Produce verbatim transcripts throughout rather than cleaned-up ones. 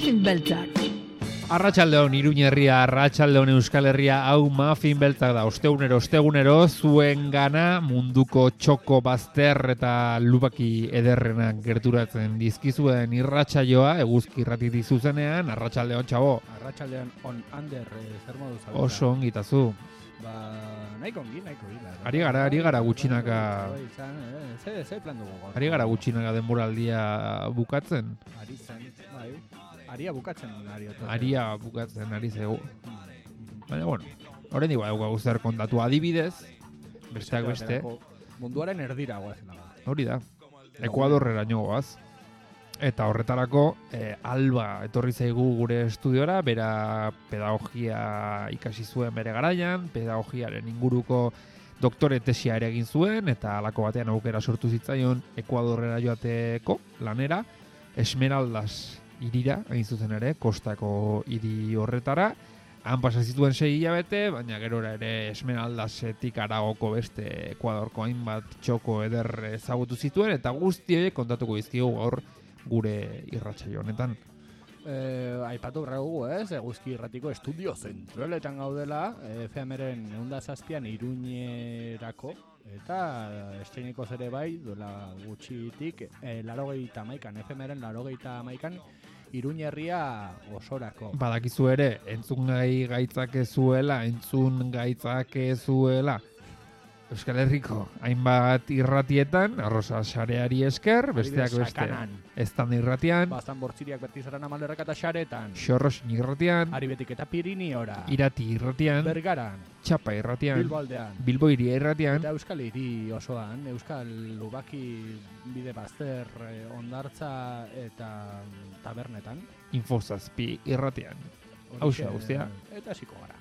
Muffin beltzak. Arratsaldeon Iruña herria, arratsaldeon Euskal Herria, hau Muffin beltzak da. Ostegunero, ostegunero zuengana munduko txoko bazter eta lubaki ederrenak gerturatzen dizkizuen irratsaioa, eguzki irrati zuzenean. Arratsaldeon, txabo. Arratsaldeon on under, eh, zer modu zaudeta? Oso ongitazu. Ba, nahiko ongi, nahiko ongi. Ari gara, ari gara gutxinaka. Ze, ze plan dugu gaur? Ari gara gutxinaka denboraldia bukatzen. Ari zen, bai. Aria bukatzen ari otote. Aria bukatzen ari zego. Baina, bueno, horren digu daukagu zer kontatu adibidez, besteak beste. Munduaren erdira guazen. Hori da, Ekuadorreraino goaz. Eta horretarako, eh, Alba etorri zaigu gure estudiora, bera pedagogia ikasi zuen bere garaian, pedagogiaren inguruko doktore tesia ere egin zuen, eta halako batean aukera sortu zitzaion Ekuadorrera joateko lanera, Esmeraldas hirira, hain zuzen ere, kostako hiri horretara. Han pasa zituen sei hilabete, baina gerora ere Esmeraldasetik aragoko beste Ekuadorko hainbat txoko eder ezagutu zituen, eta guzti horiek kontatuko dizkigu gaur gure irratsaio honetan. Eh, aipatu berragugu, ez? Eguzki irratiko estudio zentraletan gaudela, F M-ren ehunda zazpian Iruñerako, eta estreiniko ere bai, duela gutxitik, eh, larogeita hamaikan, F M-ren larogeita hamaikan, Iruñerria osorako. Badakizu ere, entzun gai gaitzak ezuela, entzun gaitzak ezuela. Euskal Herriko hainbat irratietan, arroza sareari esker, besteak beste. Estan irratian. Bastan bortziriak bertizaran amalerrak eta xaretan. Xorrosin irratian. Aribetik eta Piriniora. Irati irratian. Bergaran. Txapa irratian. Bilbo aldean. Bilbo iria irratian. Eta Euskal Hiri osoan, Euskal Lubaki bide bazter, ondartza eta tabernetan. Infozazpi irratian. Hauxa guztia. Eta hasiko gara.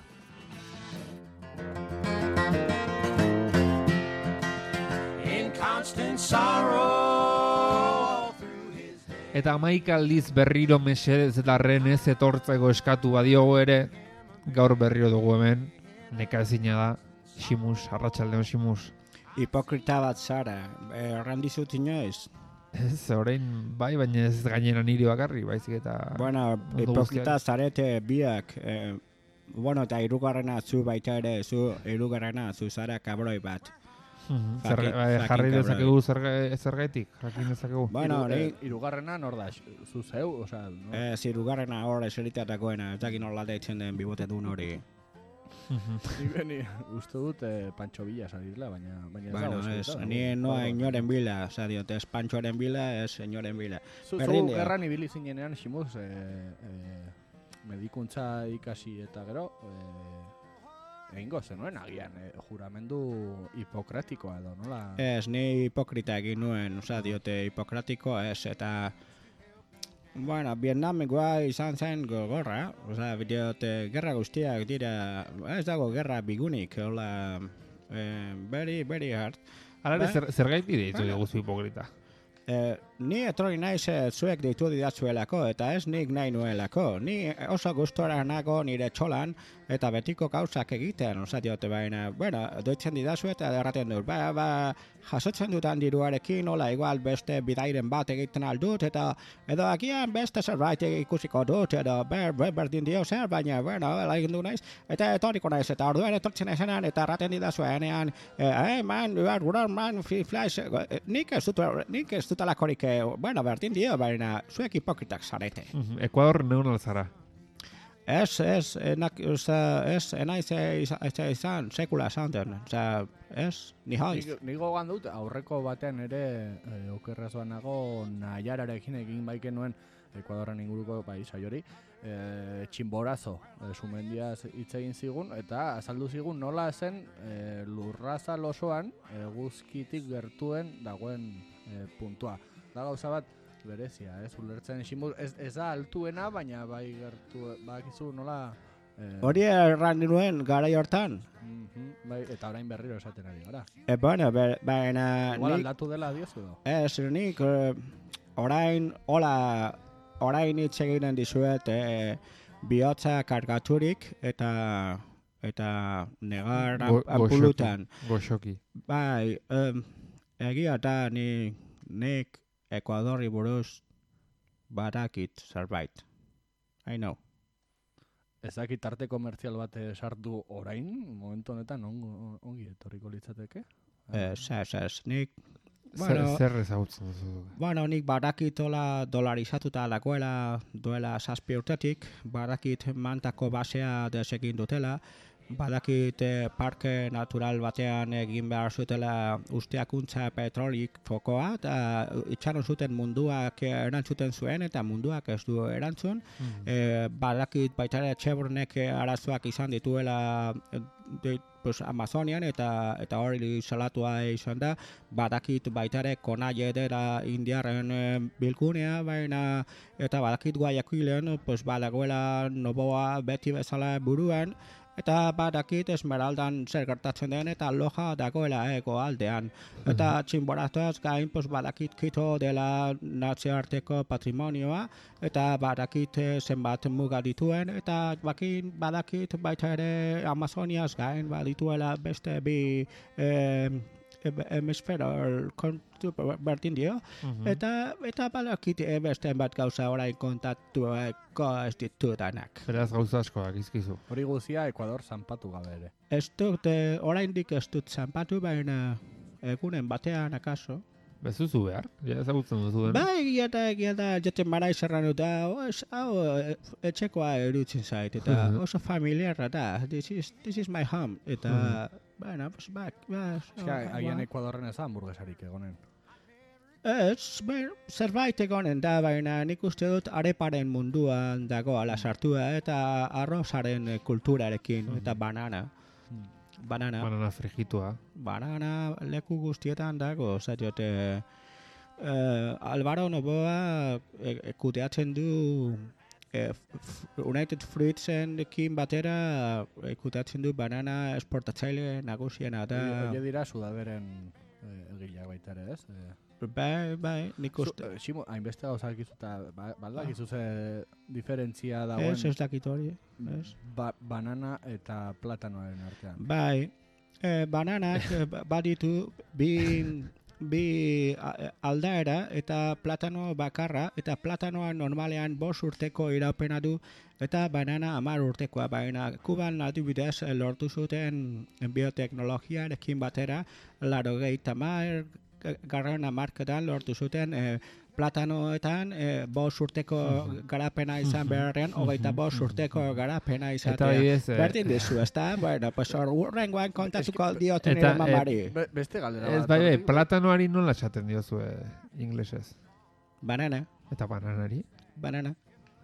Eta hamaika aldiz berriro mesedez eta renez etortzeko eskatu badiogo ere, gaur berriro dugu hemen, nekaezina da, Ximus, arratsaldeon Ximus. Hipokrita bat zara, errandizut inoiz? Ez, orain bai, baina ez gainera niri bakarri, baizik eta... Bueno, hipokrita zarete biak, eh, bueno, eta hirugarrena zu baita ere, zu hirugarrena zu zara kabroi bat. Jarri dezakegu zergaitik, jakin dezakegu. Bueno, hirugarrena nor da, zu zeu, osea, no? Ez, hirugarrena hor eseritatekoena, ez dakin nola deitzen den bibote duen hori. Ni uste dut Pancho Villa salirla, baina baina bueno, ez, ni noa inoren bila, osea, diote, ez Panchoren bila, ez inoren bila. Zu gerran ibili zinenean, Ximuz, medikuntza ikasi eta gero, egingo zenuen agian, eh, juramendu hipokratikoa edo, nola? Ez, ni hipokrita egin nuen, oza, diote hipokratikoa ez, eta bueno, Vietnamekoa izan zen gogorra, oza, diote, gerra guztiak dira, ez dago gerra bigunik, hola, eh, very, very hard. Hala, zer, zer gaiti deitu diguzu hipokrita? Eh, ni etorri naiz eh, zuek deitu didatzuelako, eta ez nik nahi nuelako. Ni oso gustora nago nire txolan, eta betiko gauzak egiten, oza diote baina, bueno, doitzen didazu eta erraten dut, ba, ba, jasotzen dutan diruarekin, hola, igual beste bidairen bat egiten aldut, eta edo agian beste zerbait ikusiko dut, edo ber, ber, berdin dio zer, baina, bueno, egin du naiz, eta etorriko naiz, eta orduan etortzen ezenan, eta erraten didazu enean, eh, man, man, man, flash, nik ez dut, nik ez dut alakorik, bueno, berdin dio, baina zuek hipokritak zarete. Ekuador neun alzara. Ez, ez, enak, ez, enaiz izan, sekula esan den, ez, ni haiz. Ni gogan dut, aurreko batean ere, e, okerraz banago, Naiararekin egin baiken nuen, Ekuadorren inguruko bai saiori, e, txinborazo, e, sumendiaz hitz egin zigun, eta azaldu zigun nola zen e, lurrazal osoan eguzkitik gertuen dagoen e, puntua. Da gauza bat, berezia, ez, ulertzen Ximuz, ez, ez da altuena, baina bai gertu, bakizu nola... Hori eh, erran nuen garai hortan. Mm-hmm, bai, eta orain berriro esaten ari gara. E, bueno, baina... Igual aldatu dela diozu edo? Ez, nik eh, orain, hola, orain hitz egiten dizuet eh, bihotza kargaturik eta eta negar apulutan. Goxoki. Bai, um, egia eta ni, nik Ekuadorri buruz badakit zerbait. I know. Ez dakit arte komertzial bat sartu orain, momentu honetan ongo, ongi etorriko litzateke? Ez, ez, ez, nik... Zer, Bueno, zer ezagutzen duzu? bueno, nik badakitola dolarizatuta dagoela duela zazpi urtetik, badakit mantako basea desegin dutela, badakit eh, parke natural batean egin behar zutela usteakuntza petrolik fokoa, eta itxaron zuten munduak erantzuten zuen, eta munduak ez du erantzun. Mm. Eh, badakit baita ere Chevronek arazoak izan dituela eh, de, pues, Amazonian, eta eta hori salatua izan da. Badakit baita ere Konaie dela indiarren eh, bilgunea, baina eta badakit Guayaquilen pues, badagoela Noboa beti bezala buruan, eta badakit Esmeraldan zer gertatzen den eta Loja dagoela ego aldean. Eta txinboratuaz gain pues, badakit Quito dela nazioarteko patrimonioa, eta badakit eh, zenbat muga dituen, eta bakin badakit baita ere Amazoniaz gain badituela beste bi eh, hemisfero kontu berdin dio, Mhm. eta eta badakit eh, beste bat gauza orain kontatuko ez ditudanak. Beraz gauza asko dakizkizu. Hori guzia Ekuador zanpatu gabe ere. Ez dut, eh, oraindik ez dut zanpatu, baina egunen batean akaso. Bezuzu behar, ja ezagutzen duzu den. Ba, egia da, egia da, jaten mara izarran dut, hau eh, etxekoa erutzen zait, eta Mhm. oso familiarra da, this is, this is my home, eta, bueno, pues, ba, ba, Eske, agian Ekuadorren ez da hamburguesarik egonen. Ez, bueno, zerbait egonen da, baina nik uste dut areparen munduan dagoala sartua, eta arrozaren eh, kulturarekin, eta banana. Banana. Banana frijitua. Banana leku guztietan dago, zatiote eh, Alvaro Noboa e, kudeatzen du eh, United Fruitsenekin batera eh, kudeatzen du banana esportatzaile nagusiena da. Hori dira sudaberen eh, egileak baita ere, ez? Eh, Bai, bai, nik Zu, uste. eh, Ximo, hainbeste gauza dakizu eta ba, baldakizu ze diferentzia dagoen Ez, ez dakit hori, ez? ba, banana eta platanoaren artean. Bai, eh, bananak eh, ba- baditu bi, bi a- aldaera eta platano bakarra, eta platanoa normalean bost urteko iraupena du, eta banana hamar urtekoa, baina Kuban adibidez eh, lortu zuten bioteknologiarekin batera, laurogeita hamar garren hamarkadan lortu zuten eh, platanoetan eh, bost urteko garapena izan beharrean, hogeita bost urteko garapena Eta izatea. bidez, eh, Berdin dizu, ezta? Bueno, pues horrengoan kontatuko dioten Eta, nire mamari. Be, beste galdera ez bat. bai, bai, orduan. platanoari nola esaten diozu inglesez. Banana, Eta bananari. banana.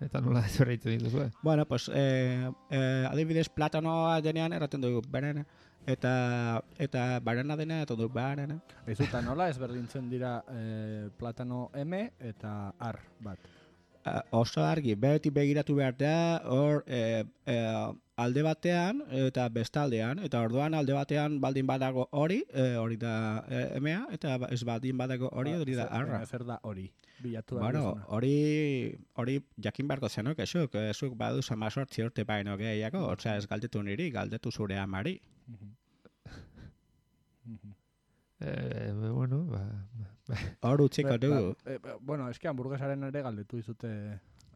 Eta nola ezberdintzen dituzue. Bueno, pues, eh, eh, adibidez, platanoa denean erraten dugu banana. Eta, eta banana denean erraten dugu banana. Aizu, eta nola ezberdintzen dira eh, platano M eta R bat. Uh, oso argi, beti begiratu behar da, hor eh, eh, alde batean eta bestaldean, eta orduan alde batean baldin badago hori, eh, hori da eh, emea, eta ba- ez baldin badago hori, hori da Zer- arra. Zer da hori? Bilatu behar Bueno, duzuna. hori hori jakin beharko zenuk, esuk, esuk badu samazortzi urte baino gehiago, osea ez galdetu niri, galdetu zure amari. Mhm. Mhm. Eh, bueno, ba, ba, Hor utziko Be- dugu. ba, eh, ba, bueno, eske hamburguesaren ere galdetu dizute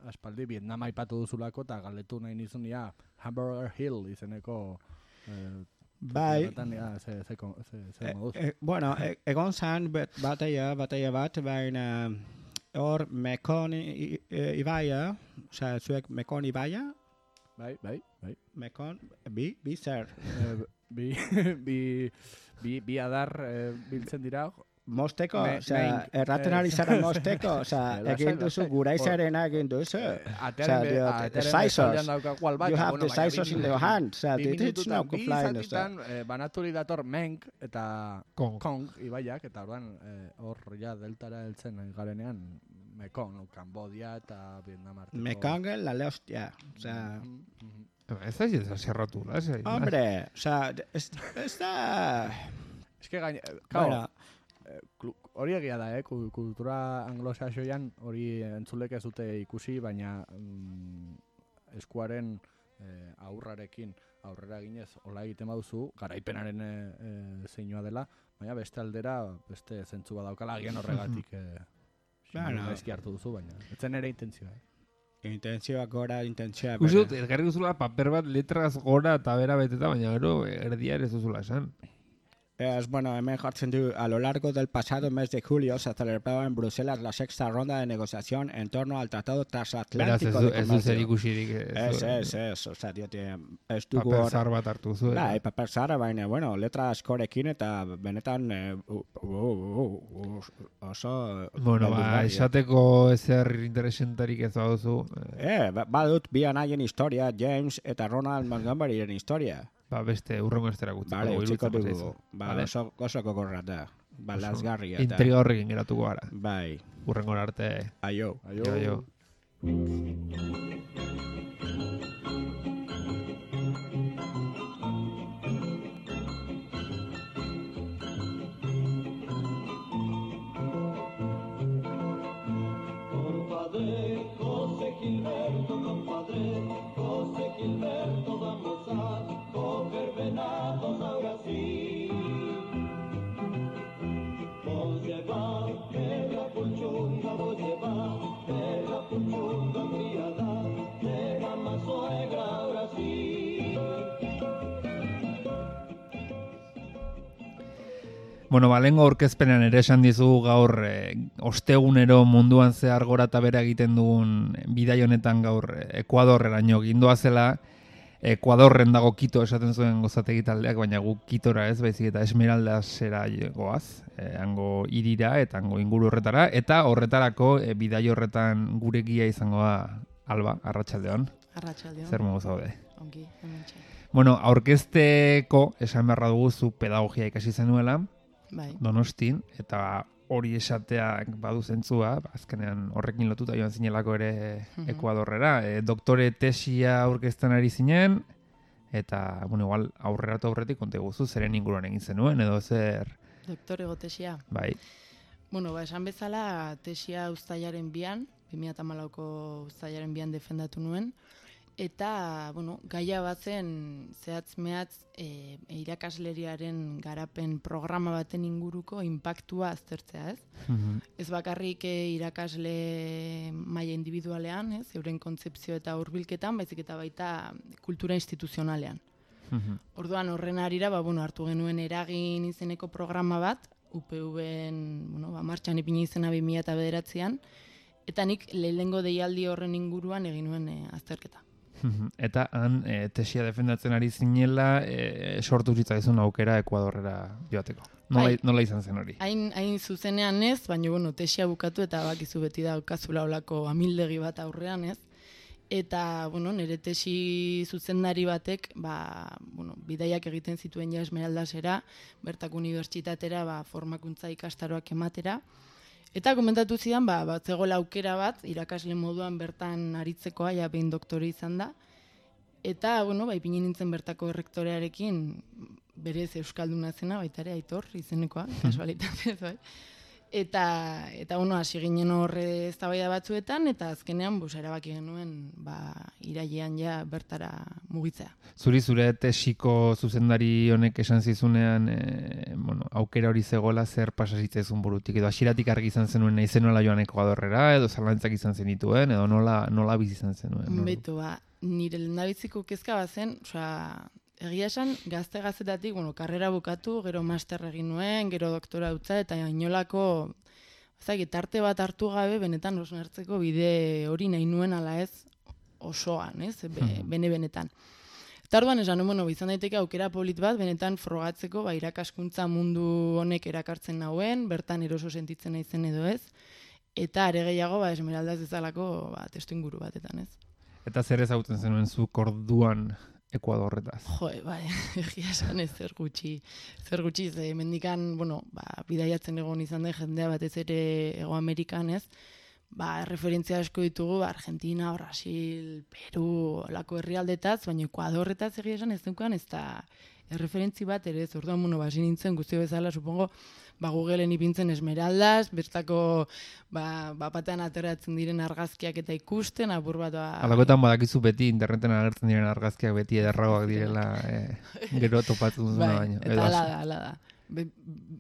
aspaldi Vietnam aipatu duzulako eta galdetu nahi nizun ja Hamburger Hill izeneko eh, Bai, horretan, ja, ze, ze, ko- ze, ze e, moduz. e, bueno, e, egon zan bet- bataia, bataia bat, baina hor Mekon i- i- ibaia, osea zuek Mekon ibaia, Bai, bai, bai. Mekon, bi, bi zer. Eh, bi, bi, bi, bi adar eh, biltzen dira. Mosteko, Me- osea, mein- erraten eh, ari zara mosteko, osea, lasai, egin duzu lasai. guraizarena egin duzu. Atearen be- diot, atearen scissors. bestaldean daukagu albat, You have bueno, the baina bi scissors in the minutu- hand, osea, bi it's minututan, not bi flying, osea. zatitan eh, banaturi dator Menk eta Kong. Kong ibaiak, eta orduan eh, hor ja deltara heltzen eh, garenean Mekong, Cambodia eta Vietnam arteko. Mekong la le hostia, osea, Mhm, mhm. ez da ez zerratu, lasai. hombre, osea, ez, ez da... Es que gaine, eh, claro, Bueno, eh, klu- hori egia da, eh, ku- kultura anglosaxoian hori entzulek ez dute ikusi, baina mm, eskuaren eh, aurrarekin aurrera ginez hola egiten baduzu, garaipenaren eh, eh, zeinua dela, baina beste aldera beste zentzu badaukala agian horregatik eh, Bueno. gaizki hartu duzu, baina ez zen ere intentzioa. Eh? Intentzioak gora, intentzioa Uste dut, bera. egarri duzula paper bat letraz gora eta bera beteta, baina gero erdia ere ez duzula esan. Es, bueno, hemen jartzen du, a lo largo del pasado mes de julio se celebraba en Bruselas la sexta ronda de negociación en torno al Tratado Beraz, Transatlántico ez du, de ez du zer Comercio. ikusirik. Ez, ez, ez, oza, diote, ez dugu Paper hor... zahar bat hartu zu. Bai, paper zara, baina, bueno, letra askorekin eta benetan eh, uh, uh, uh, uh, oso... Bueno, ba, beldurgarria. esateko ezer interesentarik ez baduzu. Eh, ba- badut bi anaien historia, James eta Ronald Montgomeryren historia. Ba, beste urrengo estera gutziko. Vale, utziko iruditzen dugu. bazaizu. Ba, Vale? oso, oso gogorra da. Ba, Oso lazgarria eta... Intriga horrekin geratuko gara. Bai, Urrengora arte. aio. Aio. Jo, jo. Compadre José Gilberto, compadre José Gilberto, vamos a coger venados ahora sí. Vos lleva, que la pulchunga, vos lleva, que la pulchunga criada, de mamá suegra ahora sí. Bueno, ba, lehengo aurkezpenean ere esan dizugu gaur e, ostegunero munduan zehar gora eta bera egiten dugun bidai honetan gaur e, Ekuadorreraino gindoa zela. Ekuadorren dago Quito esaten zuen gozategi taldeak, baina guk Quitora ez, baizik eta Esmeraldasera goaz, e, hango hirira eta hango inguru horretara, eta horretarako e, bidai horretan gure gia izango da Alba, arratsaldeon. Arratsaldeon. Zer modu zaude? Ongi, hementxe. Bueno, aurkezteko esan beharra dugu zu pedagogia ikasi zenuela, Bai. Donostin, eta hori esateak badu zentzua, ba, azkenean horrekin lotuta joan zinelako ere Mhm. Ekuadorrera. E, doktore tesia aurkezten ari zinen, eta, bueno, igual aurrera eta aurretik konta guzu, zeren inguruan egin zenuen, edo zer, Doktore tesia. bai. Bueno, ba, esan bezala tesia uztailaren bian, bi mila hamalauko uztailaren bian defendatu nuen, eta, bueno, gaia batzen zehatz mehatz e, irakasleriaren garapen programa baten inguruko inpaktua aztertzea, ez? Mhm. Ez bakarrik e, irakasle maila individualean, ez? Euren kontzepzio eta hurbilketan, baizik eta baita kultura instituzionalean. Mhm. Orduan horren arira, ba, bueno, hartu genuen eragin izeneko programa bat, U P V-en, bueno, ba, martxan ipini izena bi mila bederatzian, eta nik lehenengo deialdi horren inguruan egin nuen e, azterketa. Mhm. Eta han e, tesia defendatzen ari zinela, e, sortu zitzaizun aukera Ekuadorrera joateko. Nola, Bai. nola izan zen hori? Hain, hain zuzenean ez, baina bueno, tesia bukatu eta bakizu beti daukazula olako amildegi bat aurrean ez. Eta, bueno, nire tesi zuzendari batek, ba, bueno, bidaiak egiten zituen ja Esmeraldasera, bertako unibertsitatera, ba, formakuntza ikastaroak ematera. Eta komentatu zidan, ba, bat zegoela aukera bat, irakasle moduan bertan aritzekoa, ja behin doktore izan da. Eta, bueno, ba, ipini nintzen bertako errektorearekin, berez euskalduna zena, baita ere Aitor izenekoa, kasualitatez, bai. Eta, eta bueno, hasi ginen horre eztabaida batzuetan, eta azkenean bus erabaki genuen ba, irailean ja bertara mugitzea. Zuri zure tesiko zuzendari honek esan zizunean e, bueno, aukera hori zegoela zer pasa zitzaizun burutik, edo hasieratik argi izan zenuen nahi zenuela joan Ekuadorrera, edo zalantzak izan zenituen, edo nola, nola bizi izan zenuen. No? Beto, ba, nire lehendabiziko kezka bazen, osea, egia esan, gazte gaztetatik, bueno, karrera bukatu, gero master egin nuen, gero doktora utza, eta inolako, ezagik, tarte bat hartu gabe, benetan osnartzeko bide hori nahi nuen ala ez osoan, ez, Be, bene-benetan. Eta orduan esan, bueno, izan daiteke aukera polit bat, benetan frogatzeko, ba, irakaskuntza mundu honek erakartzen nauen, bertan eroso sentitzen naizen edo ez, eta are gehiago, ba, Esmeraldaz ezalako, ba, testu inguru batetan, ez. Eta zer ezagutzen zenuen zuk orduan Ekuadorretaz? Jo, bai, egia esan ez zer gutxi, zer gutxi, ze mendikan, bueno, ba, bidaiatzen egon izan da jendea batez ere Hego Amerikan, ez? Ba, referentzia asko ditugu, ba, Argentina, Brasil, Peru, olako herrialdetaz, baina Ekuadorretaz egia esan ez dukan, ez da erreferentzi bat ere, ez orduan, bueno, basi nintzen guztio bezala, supongo, ba, Googleen ipintzen Esmeraldas, bertako, ba, bapatean ateratzen diren argazkiak eta ikusten, apur bat, ba... Alakoetan badakizu beti interneten agertzen diren argazkiak beti ederragoak direla, e, gero topatzen duzuna bai, baino. eta ala da, ala da. Be,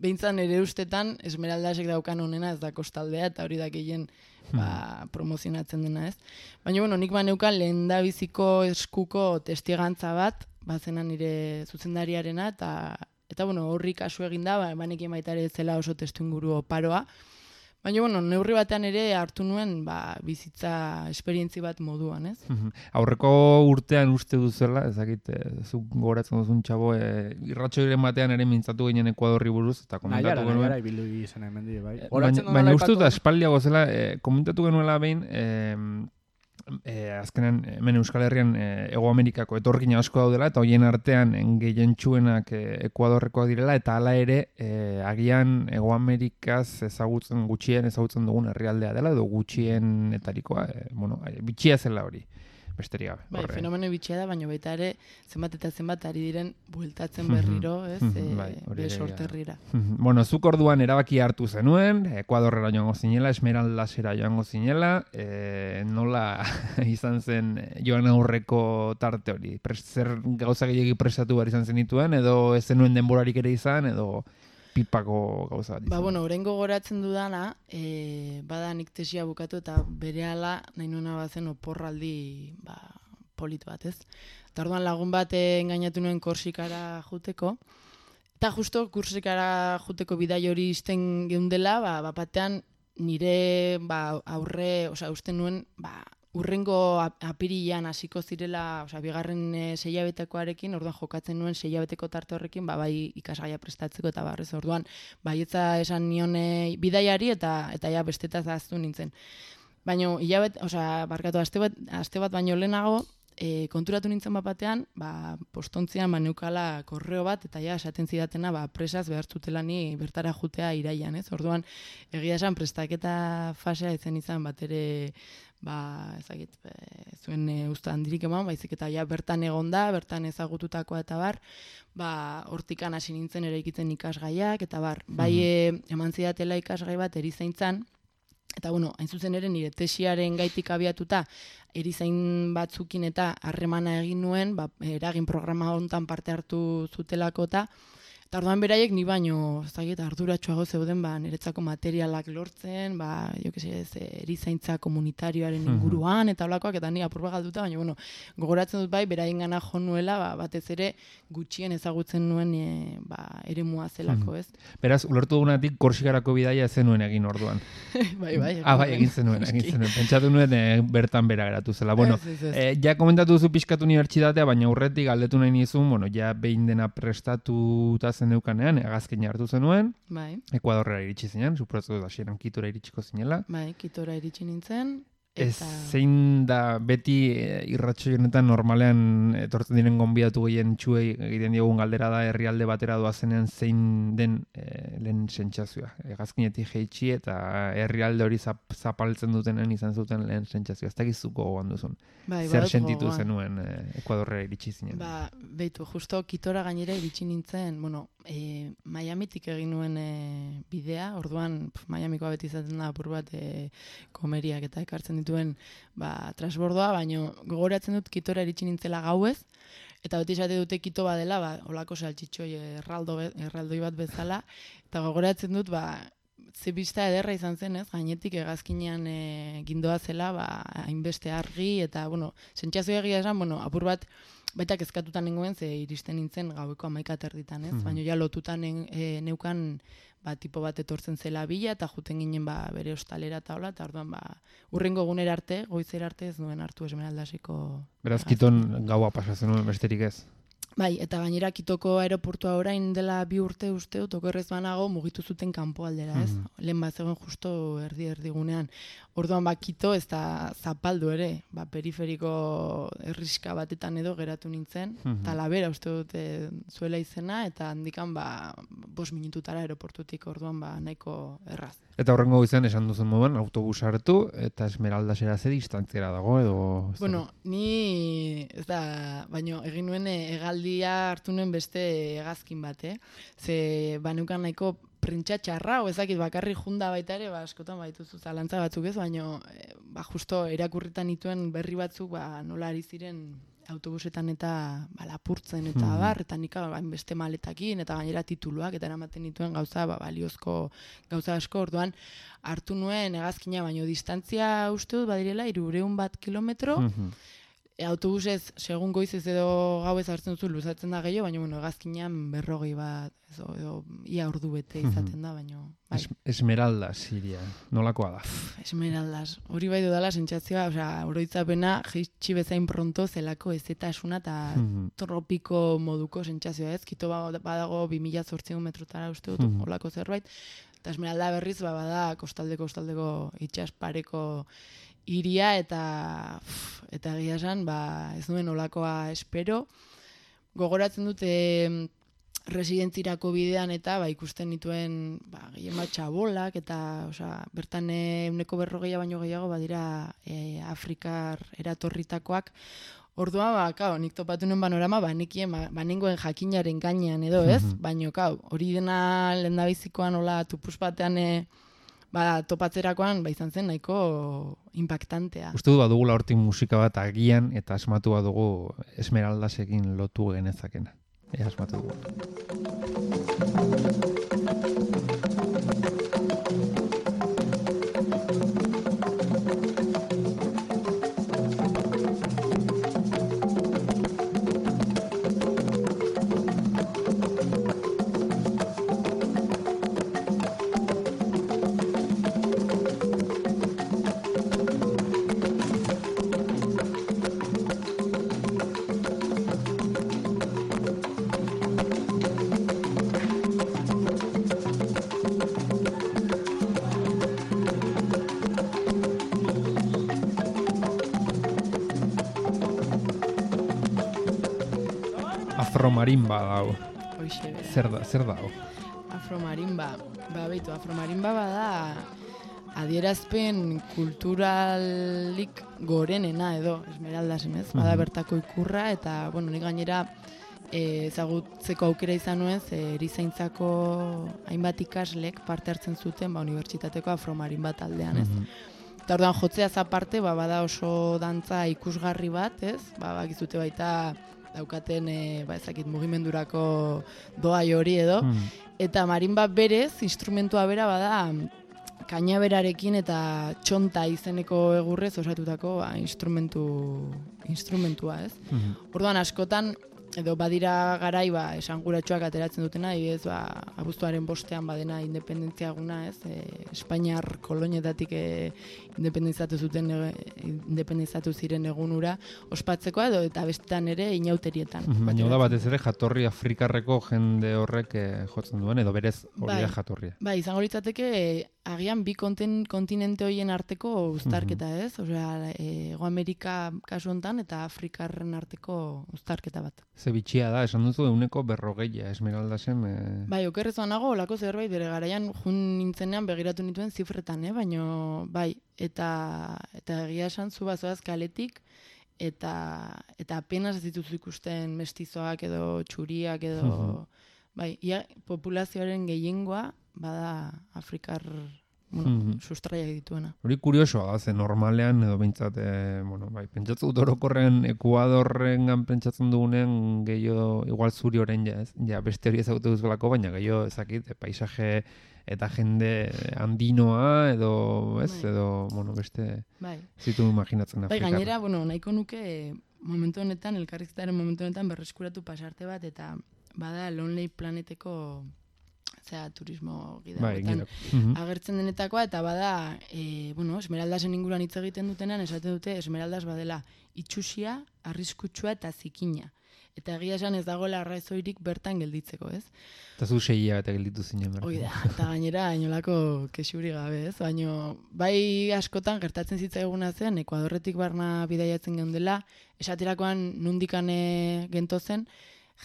behintzan ere ustetan Esmeraldasek daukan honena ez da kostaldea, eta hori da gehien ba, promozionatzen dena, ez? Baina, bueno, nik baneukan lehen da biziko eskuko testigantza bat, bazena nire zuzendariarena, eta, eta bueno, horri kasu eginda, ba, banekin baita ere zela oso testu inguru oparoa. Baina, bueno, neurri batean ere hartu nuen ba, bizitza esperientzi bat moduan, ez? Aurreko urtean uste duzela, ezakit, zuk gogoratzen duzun txabo, e, irratxoiren batean ere mintzatu ginen Ekuadorri buruz, eta komentatu genuen. Nahiara, ibildu izan hemen di, bai. Baina, baina uste dut, espaldiago zela, e, komentatu genuela behin, e, E, azkenan hemen Euskal Herrian e, Ego Amerikako etorkina asko daudela eta hoien artean gehientsuenak e, Ekuadorrekoak direla eta hala ere e, agian Ego Amerikaz ezagutzen gutxien ezagutzen dugun herrialdea dela edo gutxienetarikoa e, bueno, bitxia zela hori besterik gabe. Bai, fenomeno bitxia da, baina baita ere zenbat eta zenbat ari diren bueltatzen berriro, ez? E, bai, be sorterrira. Bueno, zuk orduan erabaki hartu zenuen, Ekuadorrera joango zinela, Esmeraldasera joango zinela, e, nola izan zen joan aurreko tarte hori? Pres, zer gauza gehiagi prestatu behar izan zenituen, edo ez zenuen denborarik ere izan, edo pipako gauza bat izan? Ba, bueno, orain gogoratzen dudana, e, bada nik tesia bukatu eta berehala nahi nuena bazen oporraldi ba, polit bat, ez? Eta orduan lagun bat engainatu nuen Korsikara juteko, eta justo Korsikara juteko bidai hori izten geundela, ba, bapatean nire ba, aurre, osea, uste nuen, ba, urrengo apirilan hasiko zirela, osea, bigarren e, seilabetekoarekin, orduan jokatzen nuen seilabeteko tarte horrekin, ba, bai ikasgaia prestatzeko eta barrez, orduan, baietza esan nion e, bidaiari eta eta ja bestetaz ahaztu nintzen. Baina, hilabet, osea, barkatu, aste bat, aste bat baino lehenago, e, konturatu nintzen bat batean, ba, postontzian baneukala korreo bat, eta ja, esaten zidatena, ba, presaz behartzutela ni bertara jutea iraian, ez? Orduan, egia esan prestaketa fasea izen izan bat ere, ba, ezagit, e, zuen e, usta handirik eman, baizik eta ja bertan egonda, bertan ezagututakoa eta bar, ba, hortikan hasi nintzen ere ikitzen ikasgaiak, eta bar, bai e, eman zidatela ikasgai bat erizaintzan, eta bueno, hain zuzen ere nire tesiaren gaitik abiatuta, erizain batzukin eta harremana egin nuen, ba, eragin programa hontan parte hartu zutelako eta, eta orduan beraiek ni baino, ez dakit, arduratsuago zeuden, ba, niretzako materialak lortzen, ba, jo que se, erizaintza komunitarioaren inguruan, eta holakoak, eta ni apurba galduta, baina, bueno, gogoratzen dut bai, beraien gana jo nuela, ba, batez ere gutxien ezagutzen nuen e, ba, eremua zelako, ez? Beraz, ulertu dugunatik Korsikarako bidaia zenuen egin orduan. bai, bai. Ah, bai, egin zenuen, egin zenuen. Pentsatu nuen e, bertan bera geratu zela. Bueno, ez, ez, ez. E, ja komentatu duzu pixkat unibertsitatea, baina aurretik galdetu nahi nizun, bueno, ja behin dena prestatuta zeneukanean, hegazkina hartu zenuen, bai. Ekuadorrera iritsi zinen, suposatzen dut hasieran Kitora iritsiko zinela. Bai, Kitora iritsi nintzen. Ez zein da beti irratxo honetan normalean etortzen diren gonbidatu gehien txuei egiten diogun galdera da herrialde batera doazenean zein den e, lehen sentsazioa. Hegazkinetik jeitsi eta herrialde hori zap, zapaltzen dutenen izan zuten lehen sentsazioa. Ez dakizuko gogoan duzun. Bai, zer sentitu zenuen e, Ekuadorrera iritsi zinen? Ba, beitu, justo Kitora gainera iritsi nintzen, bueno, e, Miamitik egin nuen e, bidea, orduan pf, Miamikoa beti izaten da apur bat e, komeriak eta ekartzen dituen ba, transbordoa, baina gogoratzen dut Kitora iritsi nintzela gauez, eta beti esate dute Kito badela, ba, olako saltxitxoi erraldo, erraldoi bat bezala, eta gogoratzen dut, ba, ze bista ederra izan zen, ez? Gainetik hegazkinean e, gindoa zela, ba, hainbeste argi, eta, bueno, sentsazio egia esan, bueno, apur bat, baita kezkatutan nengoen, ze iristen nintzen gaueko hamaika terditan, ez? Mm-hmm. Baina ja lotutan e, neukan, ba, tipo bat etortzen zela bila, eta juten ginen ba, bere ostalera eta hola, eta orduan ba, urrengo egunera arte, goizera arte ez nuen hartu Esmeraldaseko. Beraz, Kiton gaua pasatzen nuen besterik ez? Bai, eta gainera Kitoko aeroportua orain dela bi urte uste, otokerrez banago mugitu zuten kanpo aldera, ez? Mm-hmm. Lehen bat zegoen justo erdi erdigunean. Orduan ba, Kito ez da zapaldu ere, ba, periferiko erriska batetan edo geratu nintzen, eta mm-hmm. labera uste dute zuela izena, eta handikan ba, bost minututara aeroportutik orduan ba, nahiko erraz. Eta horrengo izan esan duzen moduan, autobus hartu, eta Esmeraldasera ze distantziera dago, edo... Bueno, ni, ez da, baino, egin nuen hegaldia hartu nuen beste hegazkin bat, eh? Ze, baneukan nahiko printxa txarra, o ezakit bakarri junda baita ere, ba, askotan baituzu zalantza batzuk ez, baina, ba, justo erakurritan nituen berri batzuk, ba, nola ari ziren autobusetan eta ba, lapurtzen eta Mhm. bar, eta nik hainbeste maletakin, eta gainera tituluak, eta eramaten dituen gauza, ba, baliozko gauza asko, orduan hartu nuen hegazkina, baino distantzia uste dut, badirela, hiruehun bat kilometro, Mhm. e, autobusez, segun goizez edo gauez hartzen duzu, luzatzen da gehiago, baina bueno, hegazkinean berrogei bat, edo, edo ia ordu bete izaten da, baino, bai. Es, Esmeralda, Siria. Nolakoa da? Esmeraldas. Hori bai dudala sentsazioa, osea, oroitzapena jaitsi bezain pronto zelako ezetasuna eta Mhm. tropiko moduko sentsazioa, ez? Kito ba- badago bi mila zortziehun metrotara uste dut, Mhm. holako zerbait. Eta Esmeralda berriz ba bada kostaldeko kostaldeko itsas pareko hiria eta uf, eta egia esan, ba ez nuen holakoa espero. Gogoratzen dute residentzirako bidean eta ba ikusten dituen ba gehien bat txabolak eta osea bertan ehuneko berrogeia baino gehiago badira e, Afrikar eratorritakoak. Ordua ba claro, nik topatu nuen panorama ba nekien ba, banengoen jakinaren gainean edo, ez? Mhm. Baino claro, hori dena lehendabizikoan hola tupus batean e, ba topatzerakoan ba izan zen nahiko impactantea. Uste du badugula hortik musika bat agian eta asmatu badugu Esmeraldasekin lotu genezakena. Ea asmatu dugu. Afromarimba dago. Hoixe bera. Zer da, zer dago? Afromarimba, ba beitu, afromarimba bada adierazpen kulturalik gorenena edo, Esmeraldasen, ez? Bada Mhm. bertako ikurra eta, bueno, nik gainera eh, ezagutzeko aukera izan nuen, ze erizaintzako hainbat ikaslek parte hartzen zuten, ba, unibertsitateko afromarimba taldean, ez? Mhm. Eta orduan jotzeaz aparte, ba, bada oso dantza ikusgarri bat, ez? Ba, bakizute baita daukaten, e, ba, ezakit, mugimendurako doai hori edo, Mhm. eta marimba berez, instrumentua bera bada kainaberarekin eta txonta izeneko egurrez osatutako ba, instrumentu, instrumentua, ez? Mhm. Orduan askotan, edo badira garai ba, esanguratsuak ateratzen dutena, adibidez, ba, abuztuaren bostean badena independentzia eguna, ez? E, Espainiar kolonietatik e, independizatu zuten e, independizatu ziren egunura ospatzeko edo eta bestetan ere inauterietan. Mhm. Baina da batez ere jatorri afrikarreko jende horrek eh, jotzen duen, edo berez hori Bai. da jatorria. Bai, izango litzateke e, agian bi konten, kontinente horien arteko uztarketa, ez? Osea, e, Hego Amerika kasu hontan eta Afrikarren arteko uztarketa bat. Ze bitxia da, esan duzu euneko berrogeia Esmeraldasen. Eh... Bai, okerrezoan nago, olako zerbait bere garaian jun nintzenean begiratu nituen zifretan, eh? Baino, bai, eta eta egia esan zu bazoaz kaletik, eta eta apenas ez dituzu ikusten mestizoak edo txuriak edo, Mhm. bai, ia populazioaren gehiengoa bada Afrikar, bueno, Mhm. sustraiak dituena. Hori kuriosoa da, ze normalean, edo behintzat, e, bueno, bai, pentsatzen dut orokorren Ekuadorrengan pentsatzen dugunean gehiago, igual zuri orain ja, ez? Ja, beste hori ezagutu duzulako, baina gehiago ezakit, e, paisaje eta jende andinoa, edo, ez? Bai. Edo, bueno, beste Bai. zitu imaginatzen Bai, Afrikar. gainera, bueno, nahiko nuke momentu honetan, elkarrizketaren momentu honetan berreskuratu pasarte bat, eta bada Lonely Planeteko zera, turismo gida Bai, hauetan gida. Mhm. agertzen denetakoa, eta bada, e, bueno, Esmeraldasen inguruan hitz egiten dutenean, esaten dute Esmeraldas badela itxusia, arriskutsua eta zikina. Eta egia esan ez dagoela arrazoirik bertan gelditzeko, ez? Eta zu seia eta gelditu zinen. bertan. Hoi da, eta gainera inolako kexuri gabe, ez? Baina bai askotan gertatzen zitzaiguna zen, Ekuadorretik barna bidaiatzen geundela, esaterakoan nundikane gento zen,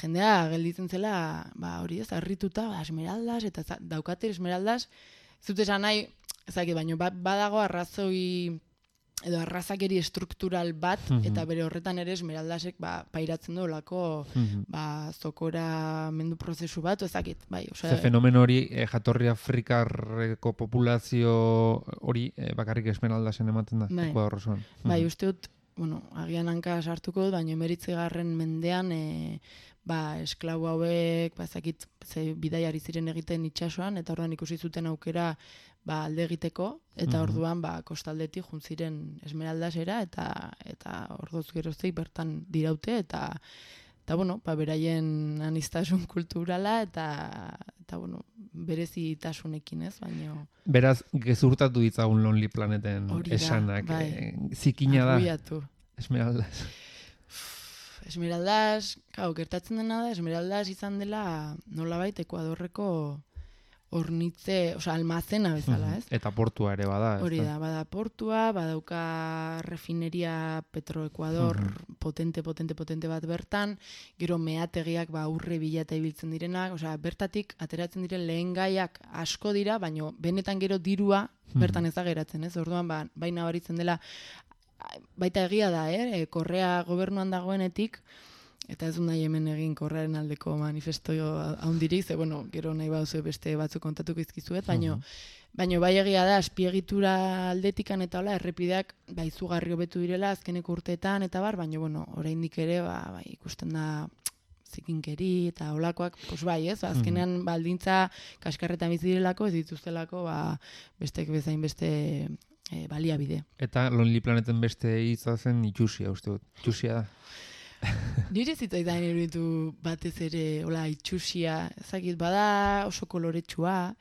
jendea gelditzen zela, ba hori ez, harrituta, ba, Esmeraldas, eta za, daukate Esmeraldas, ez dut esan nahi, ezakit, baina ba, badago arrazoi edo arrazakeri estruktural bat, Mhm. eta bere horretan ere Esmeraldasek ba, pairatzen du olako Mhm. ba, zokora mendu prozesu bat, ezakit, bai, osea, Ze fenomeno hori, eh, jatorri afrikarreko populazio hori eh, bakarrik Esmeraldasen ematen da, Bai. Ekuador osoan. bai, Mhm. uste dut, bueno, agian hanka sartuko dut, baina emeritzigarren mendean, e, ba, esklabu hauek, ba, ezakit, ze bidaiari ziren egiten itsasoan, eta orduan ikusi zuten aukera, ba, alde egiteko, eta Mhm. orduan, ba, kostaldetik juntziren Esmeraldasera, eta, eta ordoz geroztik bertan diraute, eta, eta bueno, ba, beraien anistasun kulturala, eta, eta bueno, berezitasunekin, ez, baina... Beraz, gezurtatu ditzagun Lonely Planeten Hori da, esanak. bai. eh, zikina da, arruiatu. Esmeraldas. Esmeraldas, gau, gertatzen dena da, Esmeraldas izan dela nolabait Ekuadorreko hornitze, osea, almazena bezala, ez? Eta portua ere bada. ez Hori da, bada portua, badauka refineria Petroecuador Mhm. potente, potente, potente bat bertan, gero meategiak ba urre bila eta ibiltzen direnak, osea, bertatik ateratzen diren lehen gaiak asko dira, baino benetan gero dirua bertan ez da geratzen, ez? Orduan, ba, bai nabaritzen dela, baita egia da, eh? E, Korrea gobernuan dagoenetik, eta ez du nahi hemen egin Korrearen aldeko manifesto haundirik, ze, bueno, gero nahi bauzu beste batzuk kontatuko izkizuet, baino, Mhm. baino bai egia da, azpiegitura aldetikan eta hola, errepideak ba, izugarri hobetu direla azkeneko urteetan, eta bar, baino, bueno, oraindik ere, ba, bai, ikusten da zikinkeri eta holakoak, pues bai, ez? Azkenean baldintza kaskarretan bizi direlako, ez dituztelako, ba, bestek bezain beste e, baliabide. Eta Lonely Planeten beste hitza zen itxusia, uste dut. Itxusia da. Nire zitzaidan iruditu batez ere, hola, itxusia, ezakit, bada oso koloretsua,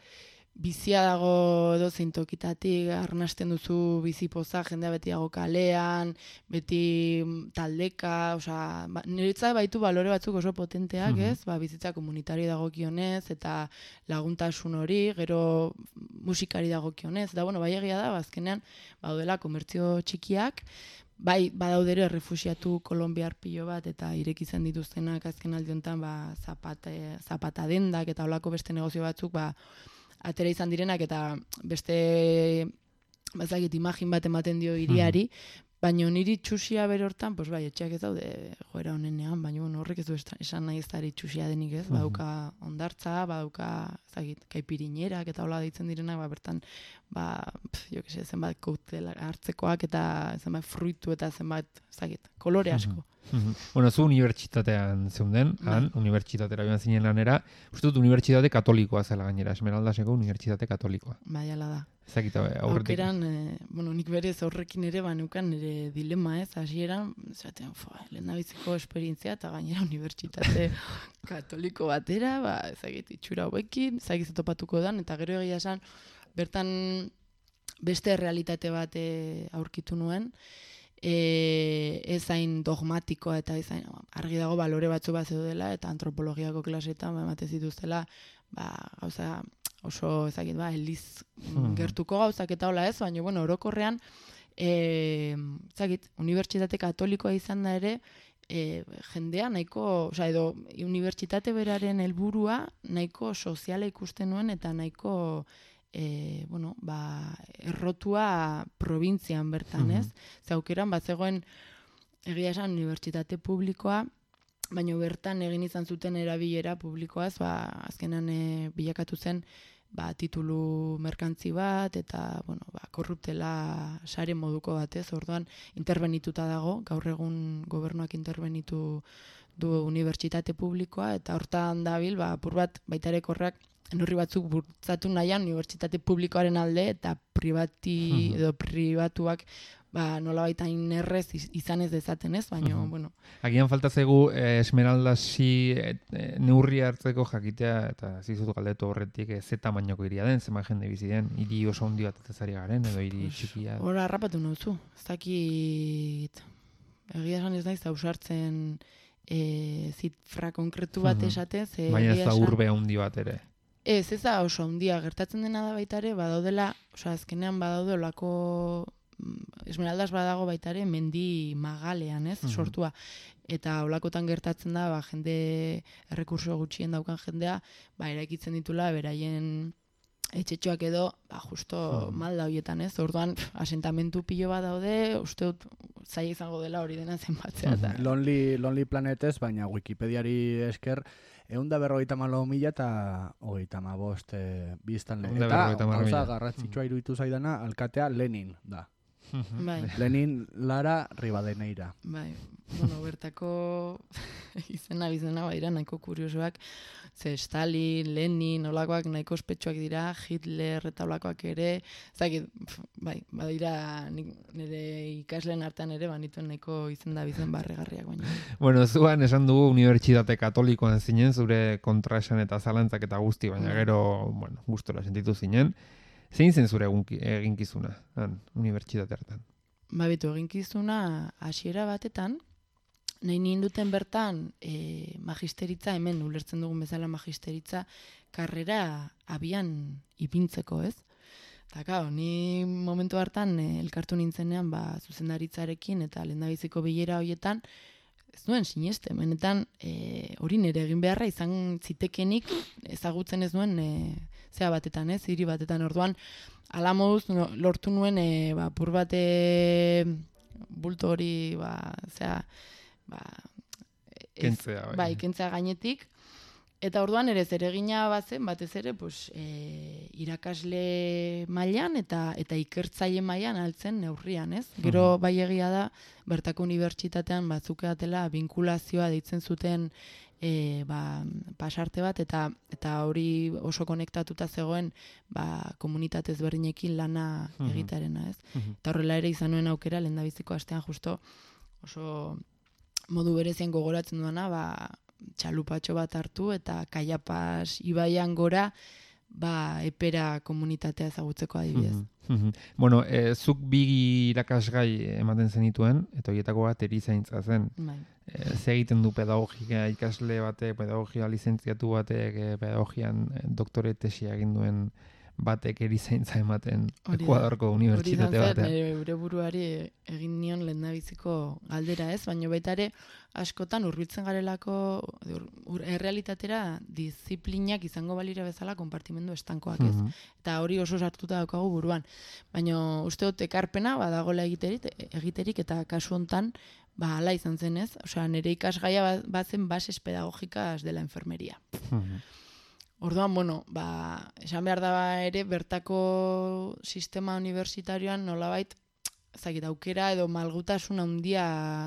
bizia dago edozein tokitatik, arnasten duzu bizipoza, jendea beti dago kalean, beti taldeka, osea, ba, niretzat baitu balore batzuk oso potenteak, Mhm. ez? Ba, bizitza komunitario dagokionez, eta laguntasun hori, gero musikari dagokionez, eta bueno, bai egia da, bazkenean, baudela komertzio txikiak, bai, badaude ere errefuxiatu kolombiar pilo bat, eta irekitzen dituztenak azken aldi honetan, ba, zapate, zapata dendak, eta holako beste negozio batzuk, ba, atera izan direnak, eta beste, bazakit, imagin bat ematen dio hiriari, baina niri txusia bere hortan, pues bai, etxeak ez daude joera honenean, baina bueno, horrek ez du estra- esan nahi ez dari txusia denik, ez? Badauka ondartza, badauka, ezagit, kaipirinerak eta hola deitzen direnak, ba, bertan, ba, pf, jo que se, zenbat koktela hartzekoak eta zenbat fruitu eta zenbat, ezagit, kolore asko. Mhm. Bueno, zu unibertsitatean zeunden, han, Bai. unibertsitatera joan zinen lanera, uste dut unibertsitate katolikoa zela gainera, Esmeraldaseko unibertsitate katolikoa. Bai, ala da. Ezakit aurretik. Aukeran, eh, bueno, nik berez horrekin ere banukan nire dilema, ez, hasieran, zaten, fo, lehendabiziko esperientzia eta gainera unibertsitate katoliko batera, ba, ezagit, itxura hauekin, ezagit topatuko dan, eta gero egia esan, bertan beste realitate bat eh, aurkitu nuen, e, ez hain dogmatikoa eta ez hain, argi dago balore batzu bat zeudela, eta antropologiako klasetan, ba, ematen zituztela, ba, gauza, oso ezagit, ba, eliz Mhm. gertuko gauzak eta hola ez, baina, bueno, orokorrean, e, ezagit, unibertsitate katolikoa izan da ere, e, jendea nahiko, osea, edo unibertsitate beraren helburua nahiko soziala ikusten nuen eta nahiko e, bueno, ba, errotua probintzian bertan, ez? Ze aukeran, bat zegoen egia esan unibertsitate publikoa, baina bertan egin izan zuten erabilera publikoaz, ba, azkenan e, bilakatu zen ba, titulu merkantzi bat, eta, bueno, ba, korruptela sare moduko batez, orduan interbenituta dago, gaur egun gobernuak interbenitu du unibertsitate publikoa, eta hortan dabil, ba, apur bat, baita ere korrak, neurri batzuk bultzatu nahian unibertsitate publikoaren alde, eta pribati, edo pribatuak, ba, nola baita inerrez izan ez dezaten ez, baina, Mhm. bueno. Agian falta zaigu eh, Esmeraldasi eh, eh, neurri hartzeko jakitea, eta zizut galdetu horretik eh, ze tamainoko hiria den, zenbat jende bizi den, hiri oso handi bat ez ari garen, edo hiri txikia. Hora harrapatu nauzu, ez dakit, egia esan ez naiz ausartzen e, zifra konkretu bat Mhm. esaten, ze Baina ez egia da esan- urbe handi bat ere. Ez, ez da oso handia, gertatzen dena da baita ere, badaudela, osea, azkenean badaude olako, Esmeraldas badago baita ere, mendi magalean, ez, Mhm. sortua. Eta olakotan gertatzen da, ba, jende, errekurso gutxien daukan jendea, ba, eraikitzen ditula, beraien etxetxoak edo, ba, justo Mhm. malda horietan, ez, orduan, pf, asentamentu pilo bat daude, uste dut, zaila izango dela hori dena zenbatzea, eta... Lonely, Lonely Planetez, baina Wikipediari esker, egun da berrogeita malo mila eta hogeita mabost e, biztanle. Ehun da Eta berrogeita hamar gauza mila. garrantzitsua iruditu zaidana, alkatea Lenin da. Bai, Lenin, Lara, Ribadeneira. bai. Bueno, bertako izena bizena baira nahiko kuriosoak. Ze Stalin, Lenin, olakoak nahiko ospetsuak dira, Hitler eta olakoak ere. Zakit, bai, badira nire ikasleen artean ere banituen nahiko izenda bizen barregarriak baina. Bueno, zuan esan dugu unibertsitate katolikoan zinen, zure kontraesan eta zalantzak eta guzti, baina gero, bueno, gustora sentitu zinen. Zein zen zure eginkizuna, han, unibertsitate hartan? Ba, bitu, eginkizuna hasiera batetan, nahi ninduten bertan e, magisteritza, hemen ulertzen dugun bezala magisteritza, karrera abian ipintzeko, ez? Eta, kao, ni momentu hartan e, elkartu nintzenean, ba, zuzendaritzarekin eta lehendabiziko bilera horietan, ez nuen sineste, benetan e, hori nire egin beharra izan zitekenik ezagutzen ez nuen e, zea batetan, ez, hiri batetan orduan, ala moduz no, lortu nuen e, ba, pur bate bulto hori, ba, zea, ba, ez, kentzea, bai. bai, kentzea gainetik, eta orduan ere zeregina bazen, batez ere, pues, e, irakasle mailan eta eta ikertzaile mailan altzen neurrian, ez? Gero bai egia da, bertako unibertsitatean batzukeatela vinkulazioa deitzen zuten e, ba, pasarte bat, eta eta hori oso konektatuta zegoen ba, komunitate ezberdinekin lana egitarena, ez? Eta horrela ere izan nuen aukera, lehendabiziko astean justo oso modu berezian gogoratzen duana, ba, txalupatxo bat hartu eta Kaiapas ibaian gora ba, epera komunitatea ezagutzeko adibidez. Mm-hmm. Bueno, e, zuk bi irakasgai ematen zenituen, eta horietako bat erizaintza zen. Bai. E, ze egiten du pedagogia ikasle batek, pedagogia lizentziatu batek, e, pedagogian doktore tesia egin duen batek erizaintza ematen Ekuadorko unibertsitate batean. Hori da, gure buruari egin nion lehendabiziko galdera, ez? Baina baita ere askotan hurbiltzen garelako ur, errealitatera diziplinak izango balira bezala konpartimendu estankoak, ez? Mm-hmm. Eta hori oso sartuta daukagu buruan. Baina uste dut ekarpena badagola egiterik, egiterik eta kasu hontan ba hala izan zen, ez? Osea, nire ikasgaia bazen bases pedagógicas de la enfermería. Mm-hmm. Orduan, bueno, ba, esan behar da ere, bertako sistema universitarioan nolabait, ezagik, aukera edo malgutasun handia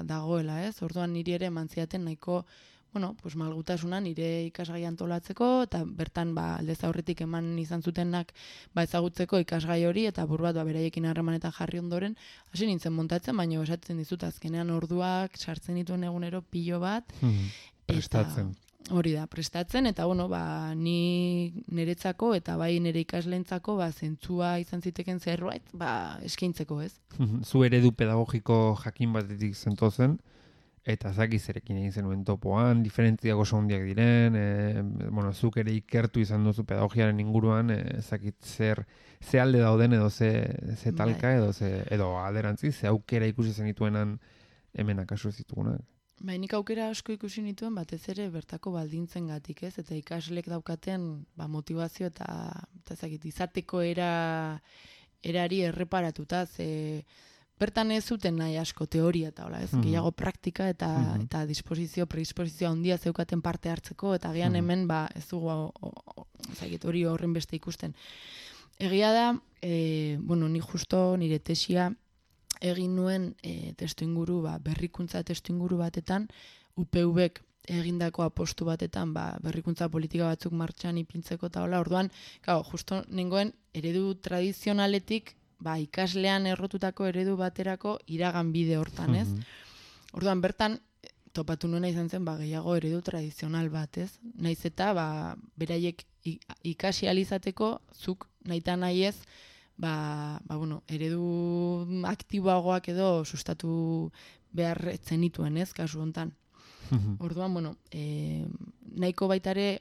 dagoela, ez? Orduan niri ere mantziaten nahiko, bueno, pues malgutasuna nire ikasgai antolatzeko, eta bertan, ba, aldez aurretik eman izan zutenak, ba, ezagutzeko ikasgai hori, eta buru bat, ba, beraiekin harremanetan jarri ondoren, hasi nintzen montatzen, baina esatzen dizut, azkenean orduak sartzen dituen egunero pilo bat, hmm, prestatzen. Eta, hori da, prestatzen, eta bueno, ba, ni niretzako eta bai nire ikaslentzako ba, zentzua izan ziteken zerbait, ba, eskaintzeko, ez? Zu eredu pedagogiko jakin batetik zentozen, eta zaki zerekin egin zenuen topoan, diferentziak oso handiak diren, e, bueno, zuk ere ikertu izan duzu pedagogiaren inguruan, e, zakit zer, ze alde dauden edo ze, ze talka edo, ze, edo alderantzi, ze aukera ikusi zenituenan hemen akaso zitugunak. Bai, nik aukera asko ikusi nituen batez ere bertako baldintzen gatik, ez? Eta ikaslek daukaten ba, motivazio eta, eta zakit, izateko era, erari erreparatuta, ze bertan ez zuten nahi asko teoria eta hola, ez? Mm-hmm. Gehiago praktika eta, mm-hmm. eta disposizio, predisposizio handia zeukaten parte hartzeko, eta gian mm-hmm. hemen ba, ez dugu zakit, hori horren beste ikusten. Egia da, e, bueno, ni justo nire tesia egin nuen e, testu inguru, ba, berrikuntza testu inguru batetan, U P Vek egindako apostu batetan, ba, berrikuntza politika batzuk martxan ipintzeko eta hola, orduan, claro, justo nengoen eredu tradizionaletik, ba, ikaslean errotutako eredu baterako iragan bide hortan, ez? Mm-hmm. Orduan, bertan, topatu nuena izan zen, ba, gehiago eredu tradizional bat, ez? Naiz eta, ba, beraiek ikasi alizateko, zuk nahita nahi ez, Ba, ba, bueno, eredu aktiboagoak edo sustatu behar zenituen, ez, kasu hontan. Mm-hmm. Orduan, bueno, e, nahiko baitare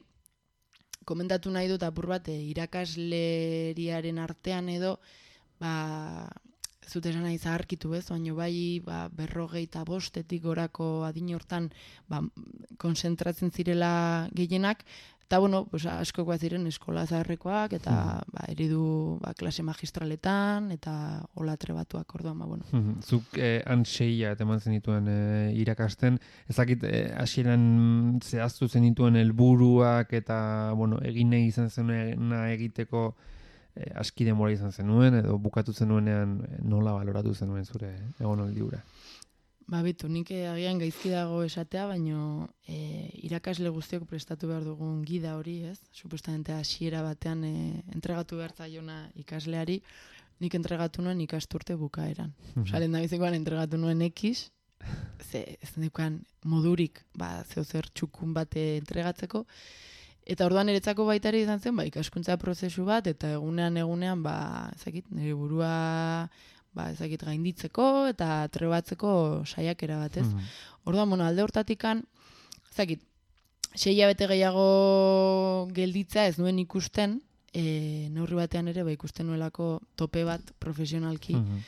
komentatu nahi dut apur bat, e, irakasleriaren artean edo, ba, zut esan nahi zaharkitu ez, baina bai ba, berrogei eta bostetik gorako adin hortan ba, konzentratzen zirela gehienak, eta, bueno, pues, askokoa ziren eskola zaharrekoak, eta mm. ba, eridu ba, klase magistraletan, eta hola trebatuak, orduan, ba, bueno. Mm-hmm. Zuk eh, antseia eta eman zenituen eh, irakasten, ezakit eh, hasieran zehaztu zenituen helburuak eta, bueno, egin nahi izan zenuna egiteko e, aski denbora izan zenuen, edo bukatu zenuenean nola baloratu zenuen zure egonaldi hura? Ba, bitu, nik agian gaizki dago esatea, baino e, irakasle guztiok prestatu behar dugun gida hori, ez? Supuestamente hasiera batean e, entregatu behar zaiona ikasleari, nik entregatu nuen ikasturte bukaeran. Mhm. Osa, lehen da bizikoan entregatu nuen X, ze ez neukan modurik, ba, zeo zer txukun bate entregatzeko, eta orduan niretzako baita ere izan zen, ba, ikaskuntza prozesu bat, eta egunean egunean, ba, ezakit, nire burua ba, ezakit gainditzeko eta trebatzeko saiakera bat, ez? Mhm. Orduan, bueno, alde hortatikan, ezakit, sei hilabete gehiago gelditzea ez nuen ikusten, e, neurri batean ere, ba, ikusten nuelako tope bat profesionalki, Mhm.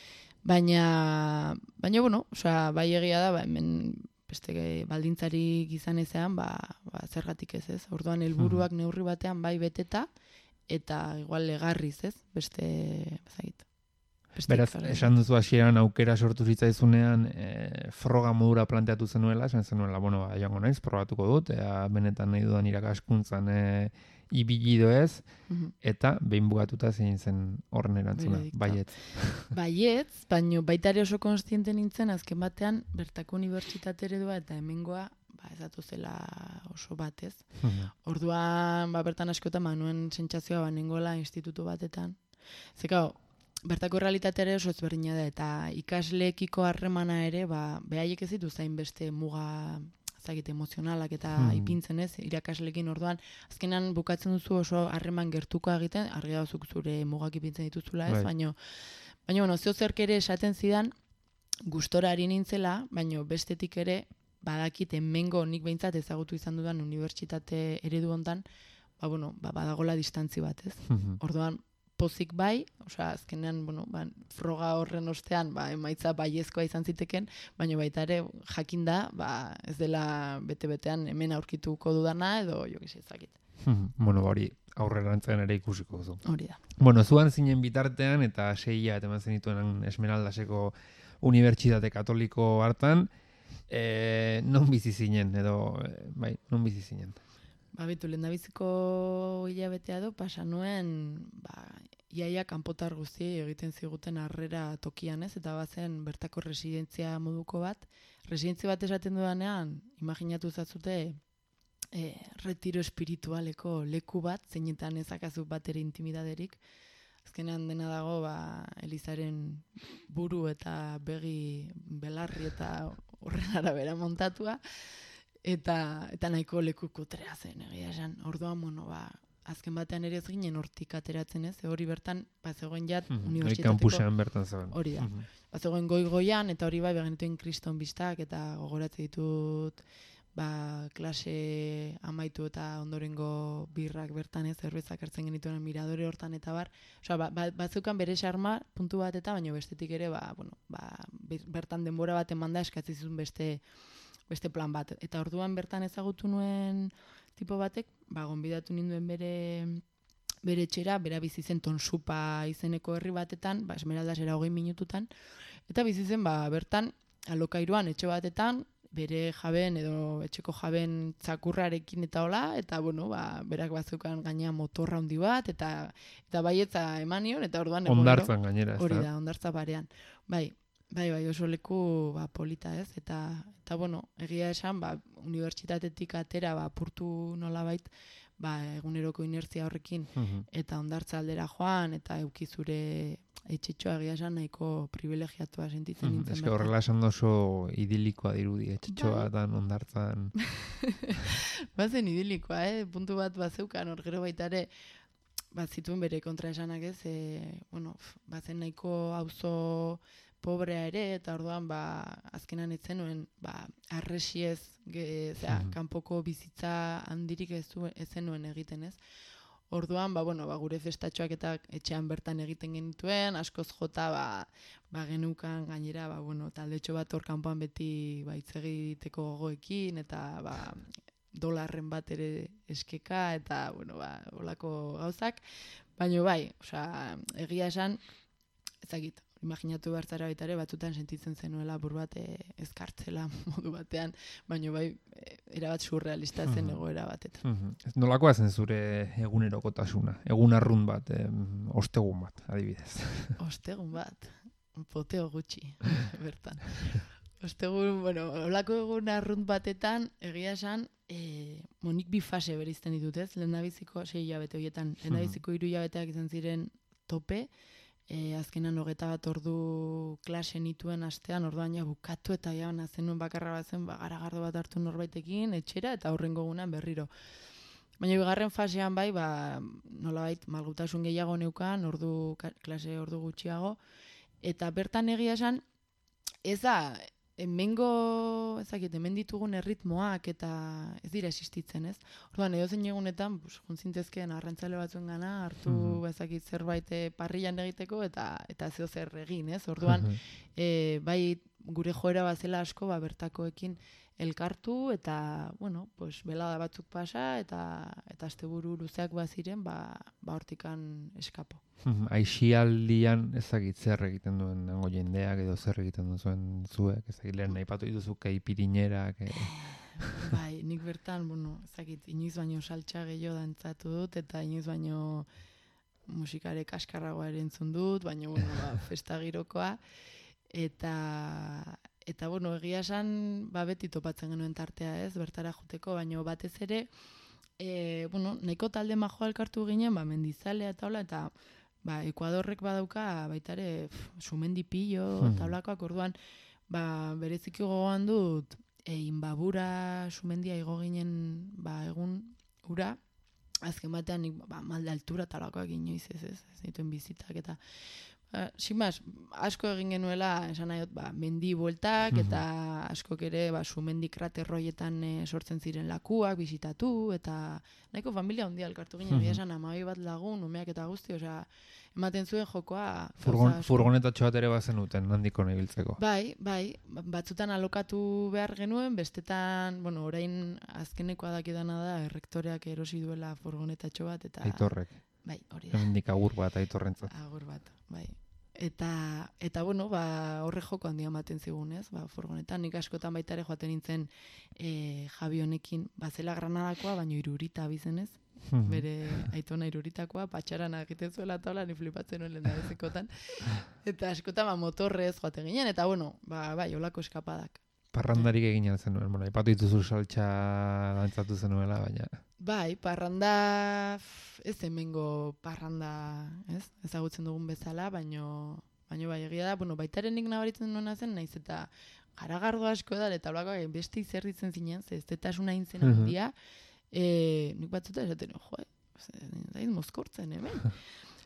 baina, baina, bueno, osea, bai egia da, ba, hemen beste baldintzarik izan ezean, ba, ba, zergatik ez, ez? Orduan, helburuak neurri batean bai beteta, eta igual legarriz, ez? Beste, ezagit. Beraz, esan duzu hasieran aukera sortu zitzaizunean e, froga modura planteatu zenuela, esan zenuela, bueno, ba, joango naiz, probatuko dut, ea benetan nahi dudan irakaskuntzan e, ibilido ez, Mhm. eta behin bugatuta zein zen horren erantzuna, Veredicto. baietz. Baietz, baino baita ere oso konstiente nintzen, azken batean, bertako unibertsitate eredua eta hemengoa, ba, ez zela oso batez. Mhm. Orduan, ba, bertan askotan, ba, nuen sentsazioa, ba, nengoela institutu batetan. Zekao, bertako realitatea ere oso ezberdina da, eta ikasleekiko harremana ere, ba, behaiek ez ditu zain beste muga ezagite emozionalak eta Hmm. ipintzen ez, irakaslekin orduan, azkenan bukatzen duzu oso harreman gertuko egiten, argi dauzuk zure mugak ipintzen dituzula ez, Bai. baino, baina, bueno, zeo zerk ere esaten zidan, gustora ari nintzela, baino bestetik ere, badakit hemengo nik behintzat ezagutu izan dudan unibertsitate eredu hontan, ba, bueno, ba, badagola distantzi bat ez. Mhm. Orduan, pozik bai, osea, azkenean, bueno, ba, froga horren ostean, ba, emaitza baiezkoa izan ziteken, baina baita ere jakinda, ba, ez dela bete-betean hemen aurkituko dudana, edo jo gizia ezakit. Mhm. Bueno, ba, hori aurrerantzean ere ikusiko duzu. Hori da. Bueno, zuan zinen bitartean eta seia eta eman zenituen Esmeraldaseko Unibertsitate Katoliko hartan, e, non bizi zinen, edo, e, bai, non bizi zinen? Ba, bitu, lehendabiziko hilabetea do, pasa nuen, ba, iaia kanpotar guztiei egiten ziguten harrera tokian ez, eta bazen bertako residentzia moduko bat. Residentzia bat esaten dudanean, imaginatu zazute, e, retiro espiritualeko leku bat, zeinetan ezakazu bat ere intimidaderik. Azkenean dena dago, ba, Elizaren buru eta begi belarri eta horren arabera montatua, eta eta nahiko leku kutrea zen, egia esan. Orduan, bueno, ba, azken batean ere ez ginen hortik ateratzen ez, hori bertan, ba, zegoen jat, Mhm. Hori unibertsitateko... kampusean bertan zegoen. Hori da. Mhm. Ba, zegoen goi-goian, eta hori bai, begenetuen kriston biztak, eta gogoratzen ditut, ba, klase amaitu eta ondorengo birrak bertan ez, zerbezak hartzen genituen miradore hortan eta bar. Osea, ba, ba, batzukan bere xarma puntu bat eta, baina bestetik ere, ba, bueno, ba, bertan denbora bat emanda eskatzi zuen beste beste plan bat. Eta orduan bertan ezagutu nuen tipo batek, ba, gonbidatu ninduen bere bere etxera, bera bizi zen Tonsupa izeneko herri batetan, ba, Esmeraldasera hogei minututan, eta bizi zen, ba, bertan, alokairuan etxe batetan, bere jaben edo etxeko jaben txakurrarekin eta hola, eta bueno, ba, berak bazukan gaina motorra handi bat, eta eta baietza eman nion, eta orduan egunero- Hondartzan gainera, ez hori da? da, hondartza barean. Bai, bai, bai, oso leku ba, polita ez, eta, eta bueno, egia esan, ba, unibertsitatetik atera, ba, apurtu nolabait, ba, eguneroko inertzia horrekin, Mhm. eta hondartza aldera joan, eta euki zure etxetxoa egia esan nahiko privilegiatua sentitzen Mhm. nintzen. Ez que bertan. horrela esan da oso idilikoa dirudi, etxetxoa Bai. eta hondartzan. Bazen idilikoa, eh? Puntu bat bazeukan, hor gero baita ere, bat zituen bere kontraesanak ez, e, bueno, f- bazen nahiko auzo pobrea ere, eta orduan, ba, azkenan ez zenuen, ba, arresiez, ge, zera, Mhm. kanpoko bizitza handirik ez, zuen- ez zenuen egiten ez. Orduan, ba, bueno, ba, gure festatxoak eta etxean bertan egiten genituen, askoz jota, ba, ba genukan gainera, ba, bueno, taldetxo bat hor kanpoan beti ba, hitz egiteko gogoekin, eta ba, dolarren bat ere eskeka, eta, bueno, ba, olako gauzak. Baina bai, osea, egia esan, ezagit, imaginatu behar zara baita ere, batzutan sentitzen zenuela bur bat e, ezkartzela modu batean, baina bai, e, erabat surrealista zen Mhm. egoera batetan. Mhm. Nolakoa zen zure egunerokotasuna? Egun arrunt bat, em, ostegun bat, adibidez. Ostegun bat, poteo gutxi, bertan. Ostegun, bueno, olako egun arrunt batetan, egia esan, e, monik bi fase berizten ditut, ez? Lehendabiziko sei hilabete horietan, lehendabiziko hiru hilabeteak izan ziren tope, e, azkenan hogeta bat ordu klase nituen astean, orduan ja bukatu eta ja zenuen bakarra bat zen, ba, garagardo bat hartu norbaitekin, etxera, eta aurrengo egunean berriro. Baina bigarren fasean bai, ba, nolabait malgutasun gehiago neukan, ordu, klase ordu gutxiago, eta bertan egia esan, ez da, hemengo, ezakit, hemen ditugun erritmoak eta ez dira existitzen, ez? Orduan, edo zein egunetan, pues, juntzintezkeen arrantzale batzuen gana, hartu, Mhm. ezakit, zerbait eh, parrillan egiteko eta eta zeo zer egin, ez? Orduan, Mhm. e, bai gure joera bazela asko, ba, bertakoekin elkartu eta, bueno, pues, belada batzuk pasa eta eta asteburu luzeak baziren, ba, ba hortikan eskapo. Mhm. Aixialdian ezagit zer egiten duen nango jendeak edo zer egiten duzuen zuek, ezagit lehen aipatu dituzu keipirinerak. E... Bai, nik bertan, bueno, ezakit, inoiz baino saltsa gehiago dantzatu dut eta inoiz baino musikare kaskarragoa ere entzun dut, baina, bueno, ba, festa girokoa. Eta, eta bueno, egia esan, ba, beti topatzen genuen tartea, ez, bertara joteko, baina batez ere, e, bueno, nahiko talde majoa elkartu ginen, ba, mendizalea eta hola, eta ba, Ekuadorrek badauka baita ere sumendi pillo, Hmm. tablakoak, orduan, ba, bereziki gogoan dut, e, Inbabura sumendia igo ginen, ba, egun ura, azken batean, nik, ba, malde altura talakoak inoiz ez, ez, ez dituen bizitak, eta Uh, Simaz, asko egin genuela, esan nahi dut, ba, mendi bueltak, eta askok ere, ba, sumendi kraterroietan e, sortzen ziren lakuak, bisitatu, eta nahiko familia handia elkartu ginen, egia esan amabi bat lagun, umeak eta guzti, osea, ematen zuen jokoa. Furgon, gauza asko. furgonetatxo bat ere bazenuten, handiko ibiltzeko. Bai, bai, batzutan alokatu behar genuen, bestetan, bueno, orain azkenekoa dakidana da, errektoreak erosi duela furgonetatxo bat, eta... Aitorrek. Bai, hori da. Hemendik agur bat aitorrentzat. Agur bat, bai. Eta, eta bueno, ba, horre joko handia ematen zigun, ez? Ba, furgonetan, nik askotan baita ere joaten nintzen e, Javi honekin, bazela Granadakoa, baino irurita abizenez, Mhm. bere aitona iruritakoa, patxaran egiten zuela taula, ni flipatzen nuen lehendabizikotan. Eta askotan, ba, motorrez joaten ginen, eta bueno, ba, bai, olako eskapadak. Parrandarik egin zenuen, bueno, aipatu dituzu saltsa dantzatu zenuela, baina... Bai, parranda, f- ez hemengo parranda, ez? Ezagutzen dugun bezala, baino, baino bai egia da, bueno, baitaren nik nabaritzen nuena zen, naiz eta garagardo asko da, eta olakoak beste izerditzen zinen, ze ez detasuna intzen Mhm. handia, e, nik batzuta esaten, jo, zaiz mozkortzen hemen.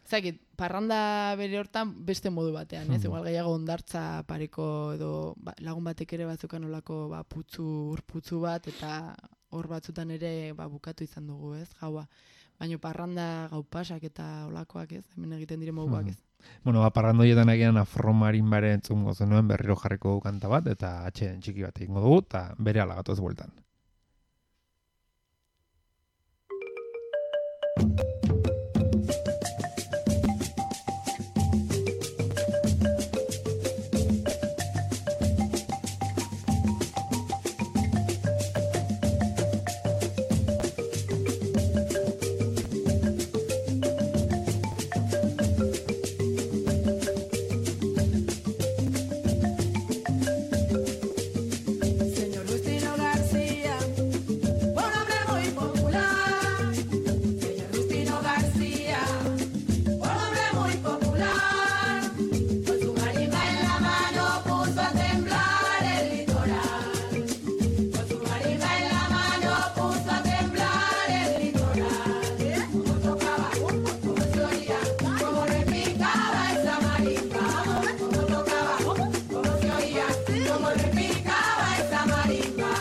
Zakit, parranda bere hortan beste modu batean, ez? Mhm. Igual gehiago ondartza pareko edo ba, lagun batek ere batzukan olako ba, putzu, urputzu bat, eta hor batzutan ere ba, bukatu izan dugu, ez? Gaua. Baina parranda gau pasak eta olakoak, ez? Hemen egiten dire moduak, ez? Bueno, ba, parrandoietan agian afromarin bare entzungo zenuen berriro jarriko dugu kanta bat, eta atxeen txiki bat egingo dugu, eta bere ala gatoz bueltan. Señor Justino García, un hombre muy popular. Señor Justino García, un hombre muy popular. Con su marimba en la mano puso a temblar el litoral. Con su marimba en la mano puso a temblar el litoral. Como tocaba, como se oía, como repicaba esa marimba. Como tocaba, como se oía, como repicaba esa marimba.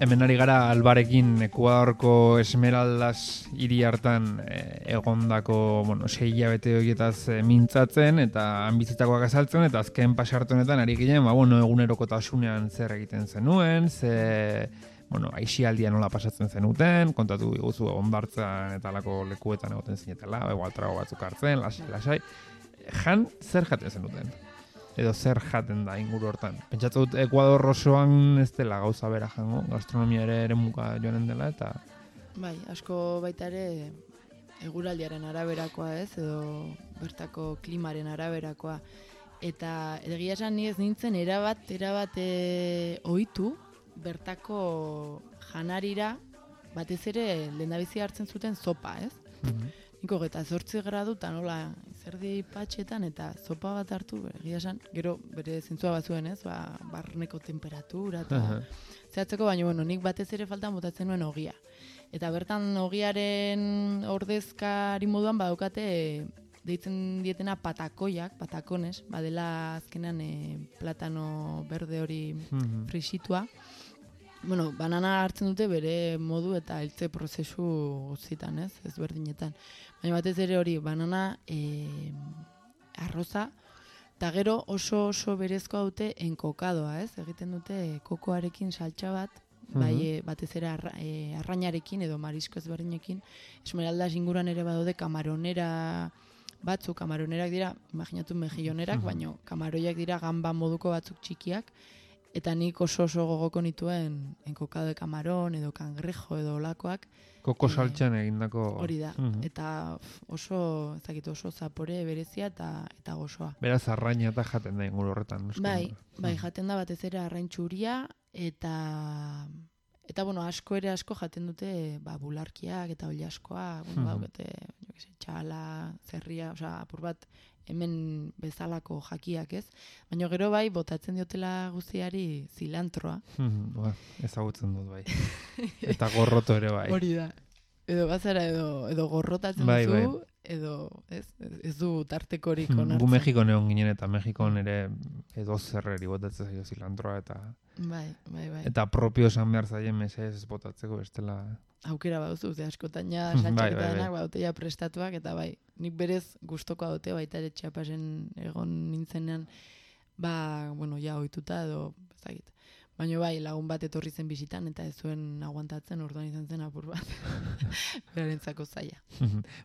Hemen ari gara Albarekin Ekuadorko Esmeraldas hiri hartan e, egondako, bueno, sei hilabete horietaz e, mintzatzen eta han bizitakoak azaltzen, eta azken pasarte honetan ari ginen, ba, bueno, egunerokotasunean zer egiten zenuen, ze bueno, aisialdia nola pasatzen zenuten, kontatu diguzu ondartzan eta alako lekuetan egoten zinetela, igual trago batzuk hartzen, lasai, lasai. Jan, zer jaten zenuten? Edo zer jaten da inguru hortan? Pentsatu dut Ekuador osoan ez dela gauza bera jango, gastronomia ere ere muka joanen dela, eta... Bai, asko baita ere eguraldiaren araberakoa ez, edo bertako klimaren araberakoa. Eta egia esan ni ez nintzen erabat, erabat e, ohitu bertako janarira batez ere lehendabizi hartzen zuten zopa, ez? Mhm. Niko eta zortzi gradu eta nola zerdi patxetan eta zopa bat hartu, egia esan, gero bere zentzua bazuen, ez? Ba, barneko temperatura eta Aha. zehatzeko, baina bueno, nik batez ere faltan botatzen nuen ogia. Eta bertan ogiaren ordezkari moduan badaukate e, deitzen dietena patakoiak, patakones, badela azkenan e, platano berde hori Mhm. frisitua. Bueno, banana hartzen dute bere modu eta heltze prozesu guztietan, ez? Ezberdinetan. Baina batez ere hori, banana e, arroza, eta gero oso oso berezkoa dute enkokadoa, ez? Egiten dute kokoarekin saltsa bat, bai, Mhm. e, batez ere arra, e, arrainarekin edo marisko ezberdinekin. Esmeraldas inguruan ere badaude kamaronera batzuk, kamaronerak dira, imaginatu mejillonerak, Mhm. baino kamaroiak dira gamba moduko batzuk txikiak, eta nik oso oso gogoko nituen enkokado de kamaron edo kangrejo edo olakoak, Koko Eh, saltxan egindako... hori da. Mhm. Eta pf, oso, ez dakit, oso zapore berezia eta eta gozoa. Beraz, arraina eta jaten da inguru horretan. noski. Bai, bai, Mhm. jaten da batez ere arrain txuria eta eta bueno, asko ere asko jaten dute ba bularkiak eta oilaskoa, bueno, Mhm. daukate, jo que sé, txala, zerria, osea, apur bat hemen bezalako jakiak, ez? Baina gero bai botatzen diotela guztiari zilantroa. Mhm, ba, ezagutzen dut, bai. Eta gorroto ere, bai. Hori da. Edo bazara edo edo gorrotatzen Bai, duzu, bai. edo ez, ez du tartekorik Mhm, onartzen. Gu Mexikon egon ginen eta Mexikon ere edo zerreri botatzen zaio zilantroa eta Bai, bai, bai. eta propio esan behar zaien mesez botatzeko bestela. Aukera baduzu, ze askotan ja Bai, saltxak bai, eta bai. denak baute ja prestatuak, eta bai, nik berez gustokoa dute baita ere Txiapasen egon nintzenean, ba, bueno, ja ohituta edo, ez dakit. Baina bai, lagun bat etorri zen bisitan eta ez zuen aguantatzen, orduan izan zen apur bat. Berarentzako zaila.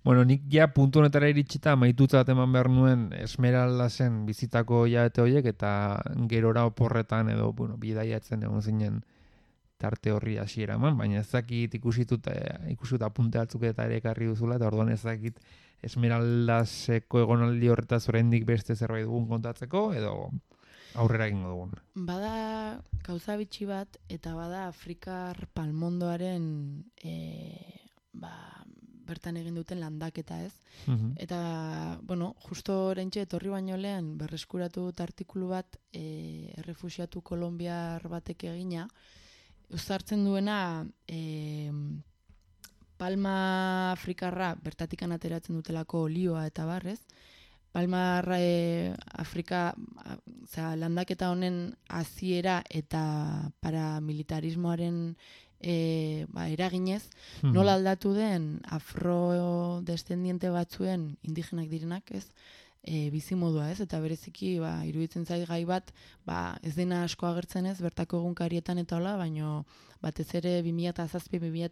Bueno, nik ja puntu honetara iritsita amaitutzat eman behar nuen Esmeraldasen bizitako hilabete horiek eta gerora oporretan edo, bueno, bidaiatzen egon zinen tarte horri hasiera eman, baina ez dakit ikusitut, eh, ikusitut apunte batzuk eta ere ekarri duzula, eta orduan ez dakit Esmeraldaseko egonaldi horretaz oraindik beste zerbait dugun kontatzeko, edo aurrera egingo dugun. Bada gauza bitxi bat, eta bada Afrikar palmondoaren e, ba, bertan egin duten landaketa, ez? Mhm. Eta, bueno, justo orentxe etorri baino lehen berreskuratu dut artikulu bat e, errefuxiatu kolombiar batek egina, uzartzen duena e, palma afrikarra bertatikan ateratzen dutelako olioa eta barrez, palma e, Afrika, osea, landaketa honen hasiera eta paramilitarismoaren e, ba, eraginez, Mhm. nola aldatu den afrodescendiente batzuen indigenak direnak, ez? E, bizimodua, ez? Eta bereziki, ba, iruditzen zait gai bat, ba, ez dena asko agertzen ez, bertako egunkarietan eta hola, baino batez ere bi mila zazpi bi mila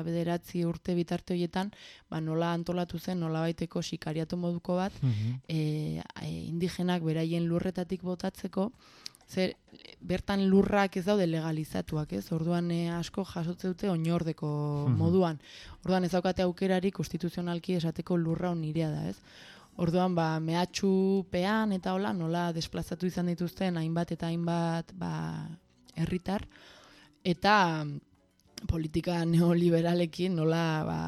bederatzi urte bitarte horietan, ba, nola antolatu zen, nola baiteko sikariatu moduko bat, Mhm. e, e, indigenak beraien lurretatik botatzeko, zer bertan lurrak ez daude legalizatuak, ez? Orduan e, asko jasotzen dute oinordeko Mhm. moduan. Orduan ez daukate aukerari konstituzionalki esateko lurra hon nirea da, ez? Orduan, ba, mehatxupean eta hola, nola desplazatu izan dituzten hainbat eta hainbat, ba, herritar, eta politika neoliberalekin nola, ba,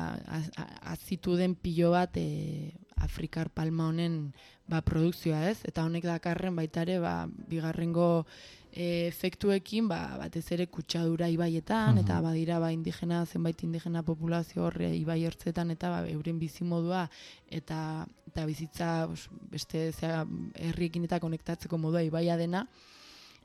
azitu den pilo bat e, Afrikar palma honen ba, produkzioa, ez? Eta honek dakarren baita ere, ba, bigarrengo e, efektuekin, ba, batez ere kutsadura ibaietan, Mhm. eta badira ba, indigena, zenbait indigena populazio horre ibai ertzetan, eta ba, euren bizimodua, eta, eta bizitza os, beste zea, herriekin eta konektatzeko modua ibaia dena,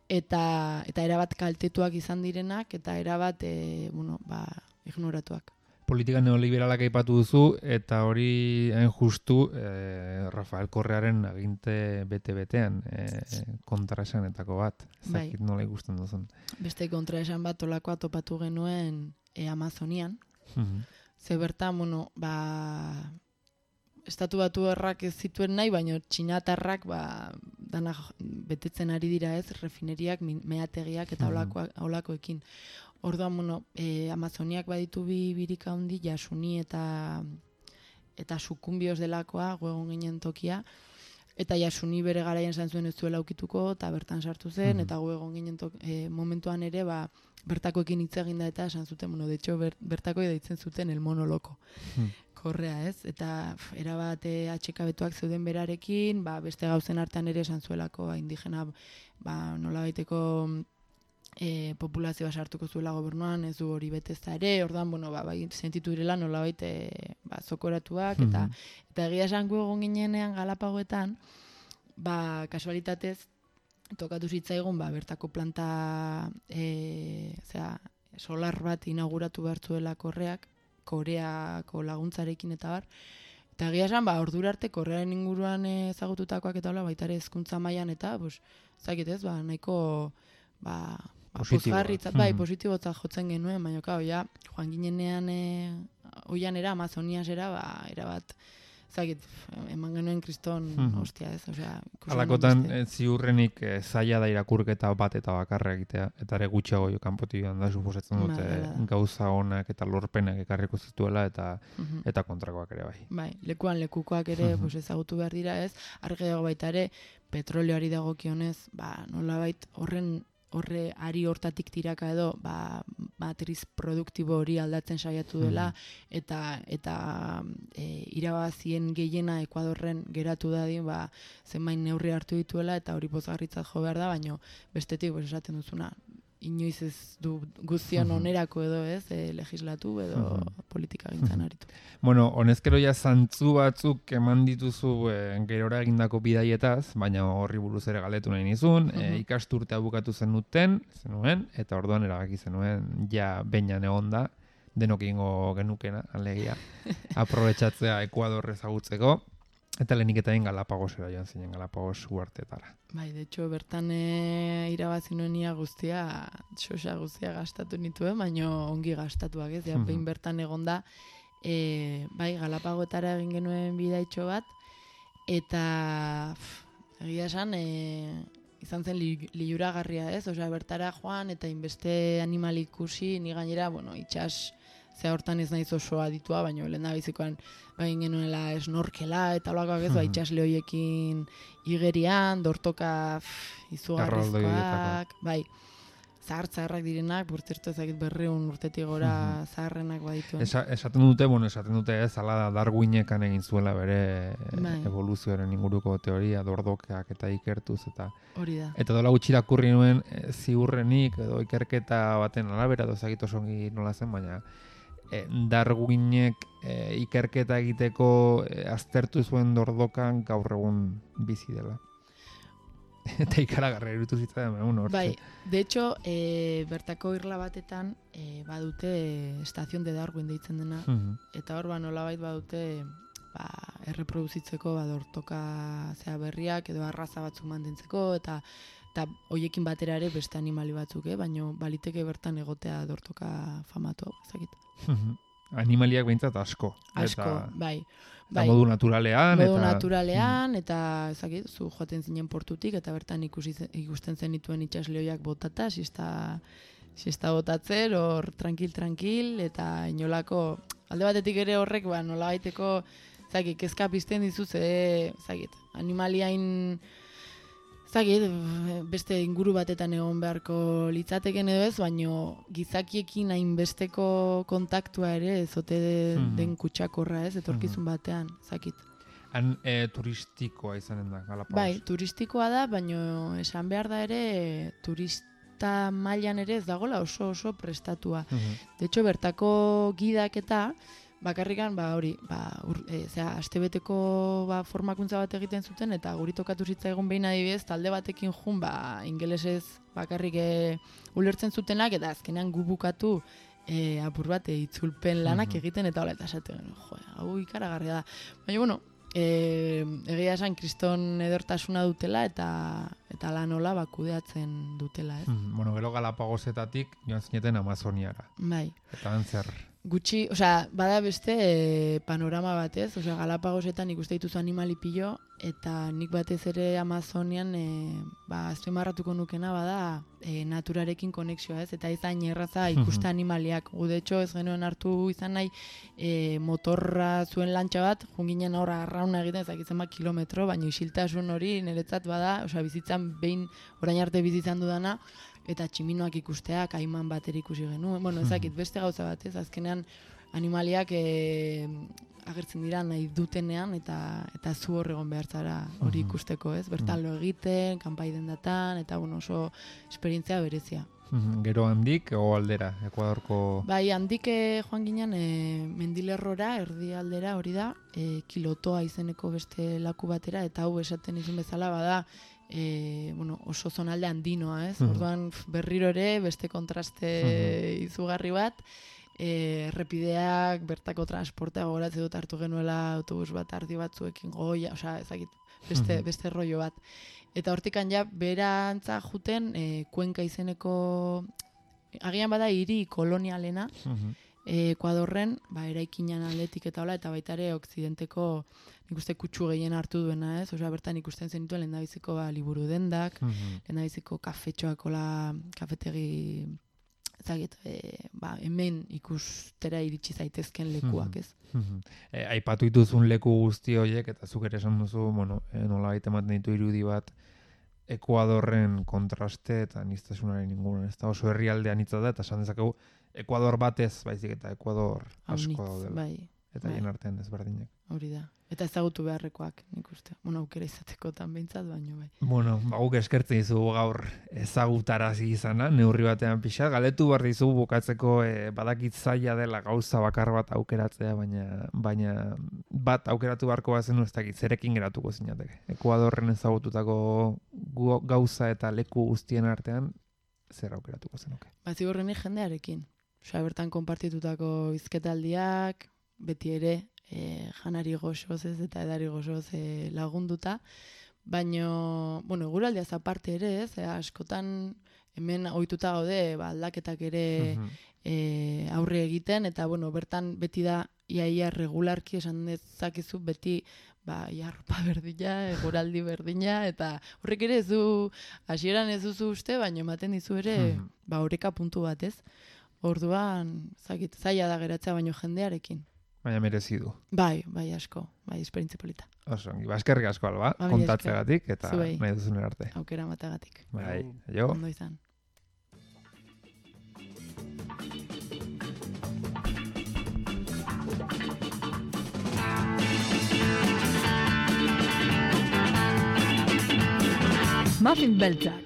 eta eta erabat kaltetuak izan direnak, eta erabat e, bueno, ba, ignoratuak. politika neoliberalak aipatu duzu, eta hori hain justu eh, Rafael Correaren aginte bete-betean eh, kontraesanetako bat. Zakit nola ikusten duzun. Beste kontraesan bat olakoa topatu genuen e, Amazonian. Mhm. Ze bertan, bueno, ba, estatu batu errak ez zituen nahi, baina txinatarrak ba, dana betetzen ari dira ez, refineriak, min- meategiak eta olakoak, olakoekin. Orduan, bueno, e, Amazoniak baditu bi birika handi, Jasuni eta eta Sukumbioz delakoa, goegon ginen tokia, eta Jasuni bere garaian esan zuen ez zuela aukituko, eta bertan sartu zen, Mhm. eta goegon ginen tok, e, momentuan ere, ba, bertakoekin hitz egin da eta esan zuten, bueno, de hecho, ber, bertako deitzen zuten el mono loko. Hmm. Korrea, ez? Eta pf, erabat e, atxekabetuak zeuden berarekin, ba, beste gauzen artean ere esan zuelako, ba, indigena, ba, nola baiteko e, populazioa sartuko zuela gobernuan, ez du hori betezta ere, ordan, bueno, ba, bai, sentitu direla nola baite, ba, zokoratuak, eta, Mhm. eta egia esan gu egon ginenean Galapagoetan, ba, kasualitatez, tokatu zitzaigun, ba, bertako planta, e, zera, solar bat inauguratu behar zuela Korreak, Koreako laguntzarekin eta bar, eta egia esan, ba, ordura arte Korearen inguruan ezagututakoak eta hola, baita ere hezkuntza mailan eta, pues, zakit ez, ba, nahiko, ba, ba Positiboa. pozgarritzat, bai, Mhm. positibotzat jotzen genuen, baina, kao, ja, joan ginenean, e, oianera, Amazoniasera, ba, erabat, zakit, eman genuen kriston, Mhm. ostia ez, osea, ikusi Alakotan genuen eh, ziurrenik eh, zaila da irakurketa bat eta bakarra egitea, eta ere gutxiago jo kanpotik joan da, suposatzen Ba, dute hala da. gauza onak eta lorpenak ekarriko zituela, eta beste. Mhm. eta kontrakoak ere bai. Bai, lekuan lekukoak ere Mhm. pues, ezagutu behar dira ez, argi dago baita ere, petroleoari dagokionez, ba, nolabait horren horre ari hortatik tiraka edo, ba, matriz produktibo hori aldatzen saiatu dela, eta eta e, irabazien gehiena Ekuadorren geratu dadin, ba, zenbait neurri hartu dituela, eta hori pozgarritzat jo behar da, baino bestetik, pues, esaten duzuna, inoiz ez du guztion Mhm. onerako edo ez, e, legislatu edo Mhm. politika gintzan aritu. Bueno, honezkero ja zantzu batzuk eman dituzu e, gerora egindako bidaietaz, baina horri buruz ere galdetu nahi nizun, e, Mhm. ikasturtea bukatu zenuten, zenuen, eta orduan erabaki zenuen, ja beinan egon da, denok egingo genukena, alegia, aprobetxatzea Ekuador ezagutzeko, eta lehenik eta egin Galapagosera joan zinen, Galapagos uartetara. Bai, de hecho, bertan e, irabazi nuen ia guztia, xosa guztia gastatu nituen, baino ongi gastatuak ez, ja, Mhm. behin bertan egonda, e, bai, Galapagoetara egin genuen bidaitxo bat, eta pff, egia esan, e, izan zen li, liuragarria ez, osea, bertara joan, eta inbeste animal ikusi, ni gainera, bueno, itxas, ze hortan ez naiz oso aditua, baina lehen da bizikoan egin genuela esnorkela eta holakoak ez, ba, Mhm. itxasle horiekin igerian, dortoka pff, izugarrizkoak, Erraldoietako. bai, zahar-zaharrak direnak, burtzertu ezakit berreun urtetik gora zaharrenak badituen. Esa, esaten dute, bueno, esaten dute ez, ala da Darwinekan egin zuela bere e, Bai. evoluzioaren inguruko teoria, dordokeak eta ikertuz, eta Hori da. Eta dola gutxi irakurri nuen e, ziurrenik edo ikerketa baten arabera, edo ezagik oso ongi nola zen, baina e, Darwinek e, ikerketa egiteko e, aztertu zuen dordokan gaur egun bizi dela. Eta ikaragarra irutu zitzaidan, baina, bueno, hortxe. Bai, de hecho, e, bertako irla batetan e, badute estazion de Darwin deitzen dena, Mhm. eta hor ba nolabait badute ba, erreproduzitzeko ba, dortoka zea berriak edo arraza batzuk mantentzeko, eta eta hoiekin batera ere beste animali batzuk, eh? Baina baliteke bertan egotea dortoka famatu, ezakit. Mhm. Animaliak behintzat asko. Asko, Eta, bai. eta Bai. modu naturalean. Modu eta, naturalean, eta ezakit, zu joaten zinen portutik, eta bertan ikusi, zen- ikusten zenituen itxasleoiak botata, siesta, siesta botatzen, hor tranquil-tranquil, eta inolako, alde batetik ere horrek, ba, nola baiteko, ezakit, kezka pizten dizu, ze, ezakit, animaliain, ezakit, beste inguru batetan egon beharko litzateken edo ez, baino gizakiekin hainbesteko kontaktua ere ezote de, Mhm. den kutsakorra ez, etorkizun batean, ezakit. Han e, turistikoa izanen da, Galapagos. Bai, turistikoa da, baino esan behar da ere turista mailan ere ez dagola oso oso prestatua. Mhm. De hecho, bertako gidak eta bakarrikan, ba hori, ba, ur, e, zera, astebeteko ba, formakuntza bat egiten zuten, eta guri tokatu zitzaigun behin adibidez, talde batekin jun, ba, ingelesez bakarrik e, ulertzen zutenak, eta azkenean gu bukatu e, apur bat e, itzulpen lanak egiten eta hola eta esate genuen, jo, hau ikaragarria da. Baina, bueno, e, egia esan kriston edertasuna dutela eta eta lan hola ba, kudeatzen dutela, ez? Mm, bueno, gero Galapagosetatik joan zineten Amazoniara. Bai. Eta antzer. Gutxi, osea, bada beste e, panorama batez, osea, Galapagosetan ikuste dituzu animali pilo, eta nik batez ere Amazonian e, ba, azpimarratuko nukena bada e, naturarekin konexioa, ez? Eta izan erraza ikuste animaliak. Gu, de hecho, ez genuen hartu izan nahi e, motorra zuen lantxa bat, junginen horra arrauna egiten, ezakitzen bat kilometro, baina isiltasun hori niretzat bada, osea, bizitzan behin orain arte bizitzan dudana, eta tximinoak ikustea, kaiman bateri ikusi genuen. Bueno, ezakit, beste gauza bat, ez? Azkenean animaliak e, agertzen dira nahi dutenean, eta eta zu hor egon behar zara hori ikusteko, ez? Bertan lo egiten, kanpai dendatan, eta bueno, oso esperientzia berezia. Gero handik, o aldera, Ekuadorko... Bai, handik eh, joan ginen e, mendilerrora, erdi aldera, hori da, e, Kilotoa izeneko beste laku batera, eta hau esaten izun bezala bada, E, bueno, oso zonalde handinoa, ez? Mm. Orduan berriro ere beste kontraste mm-hmm. izugarri bat, e, errepideak, bertako transportea gogoratzen dut hartu genuela autobus bat ardi batzuekin goia, osea, ezagit, beste, mm-hmm. beste rollo bat. Eta hortikan ja berantza juten e, Kuenka izeneko, agian bada hiri kolonialena, mm-hmm. e, Ekuadorren, ba, eraikinan aldetik eta hola, eta baita ere okzidenteko nik uste kutsu gehien hartu duena, ez? Osea, bertan ikusten zenituen lehendabiziko ba, liburu dendak, mm-hmm. lehendabiziko kafetxoak, ola, kafetegi, ezagit, e, ba, hemen ikustera iritsi zaitezken lekuak, ez? Mm-hmm. E, aipatu dituzun leku guzti horiek, eta zuk ere esan duzu, bueno, e, nola baita ematen ditu irudi bat, Ekuadorren kontraste eta niztasunaren inguruan, ez da oso herrialdean hitza da, eta esan dezakegu, Ekuador batez, baizik eta Ekuador asko daudela. Bai. Eta hien artean desberdinak. Hori da. Eta ezagutu beharrekoak, nik uste. Bueno, aukera izatekotan behintzat, baino bai. Bueno, guk eskertzen dizu gaur ezagutarazi izana, neurri batean pixa. Galetu behar dizu bukatzeko e, badakit zaila dela gauza bakar bat aukeratzea, baina baina bat aukeratu beharko bazen ez dakit, zerekin geratuko zinateke. Ekuadorren ezagututako gauza eta leku guztien artean, zer aukeratuko zenuke? Ba, ziurrenik jendearekin. Osea, bertan konpartitutako hizketaldiak, beti ere, e, janari goxoz ez eta edari goxoz e, lagunduta, baino, bueno, eguraldiaz aparte ere ez, e, askotan hemen ohituta gaude ba, aldaketak ere uh-huh. e, aurre egiten, eta bueno, bertan beti da iaia regularki esan dezakezu beti ba, ia ropa berdina, eguraldi berdina, eta horrek ere ez du, hasieran ez duzu uste, baino ematen dizu ere, uh-huh. ba, oreka puntu bat ez. Orduan, zakit, zaila da geratzea baino jendearekin. Baina merezi du. Bai, bai asko, bai esperientzia polita. Oso, eskerrik asko Alba, ba, kontatzeagatik eta Zuei. Nahi duzun arte. Aukera matagatik. Bai, jo. Ondo izan. Muffin beltzak.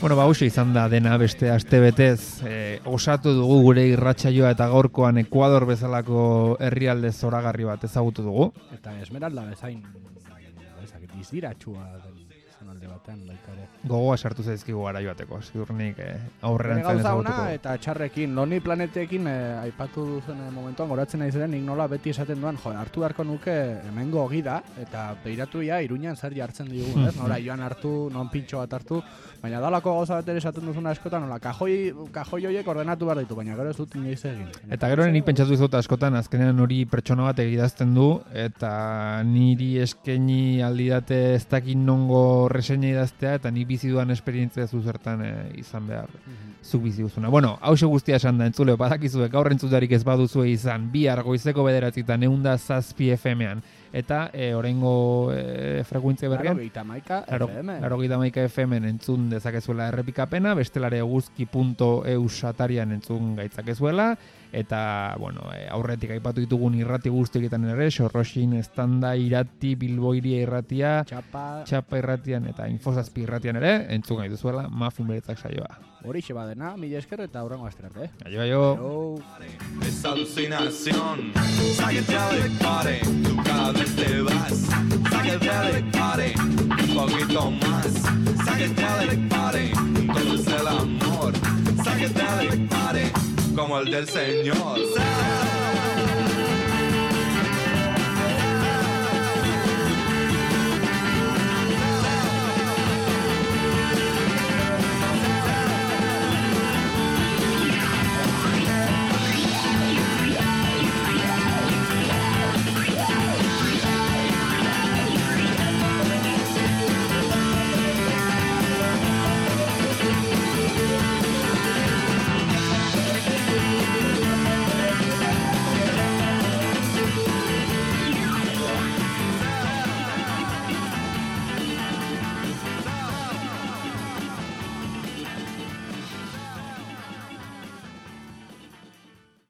Bueno, ba, hauxe izan da dena beste astebetez, eh, osatu dugu gure irratsaioa eta gaurkoan Ekuador bezalako herrialde zoragarri bat ezagutu dugu. Eta Esmeralda bezain, ezakit, izdiratxua den zonalde batean baita ere. Gogoa sartu zaizkigu gara joateko, ziurnik eh, aurrerantzean ezagutuko. Eta txarrekin, Loni planetekin eh, aipatu duzen momentuan goratzen nahi ziren, nik nola beti esaten duen, jo, hartu beharko nuke hemengo gida, eta beiratu ja Iruñan zer jartzen digun, ez? Nola joan hartu, non pintxo bat hartu, baina dalako gauza bat ere esaten duzuna askotan, nola, kajoi, kajoi horiek ordenatu behar ditu, baina gero ez dut inoiz egin. Eta gero nik pentsatu izut askotan, azkenean hori pertsona bat egidazten du, eta niri eskaini aldidate ez dakin nongo reseña idaztea, eta ni bizi duan esperientzia zuzertan e, izan behar zuk bizi duzuna. Bueno, hause guztia esan da, entzule, badakizue, gaur entzutarik ez baduzue izan, bihar goizeko bederatzitan, eunda zazpi F M-an, eta e, oraingo e, frekuentzia berrian, Larogeita maika F M. Larogeita maika F M-en entzun dezakezuela errepikapena, bestelare eguzki punto e u satarian entzun gaitzakezuela, eta, bueno, e, aurretik aipatu ditugun irrati guztietan ere, Sorroxin, Estanda, Irati, Bilboiria irratia, Txapa, Txapa irratian eta Infozazpi irratian ere, entzun gai duzuela, Muffin Beltzak saioa. Horixe badena, mila esker eta hurrengo asterarte. Aio, aio. Es alucinación, sáquete del pare, tú cada vez te vas, sáquete del pare, un poquito más, sáquete del pare, entonces el amor, sáquete del pare. como el del Señor.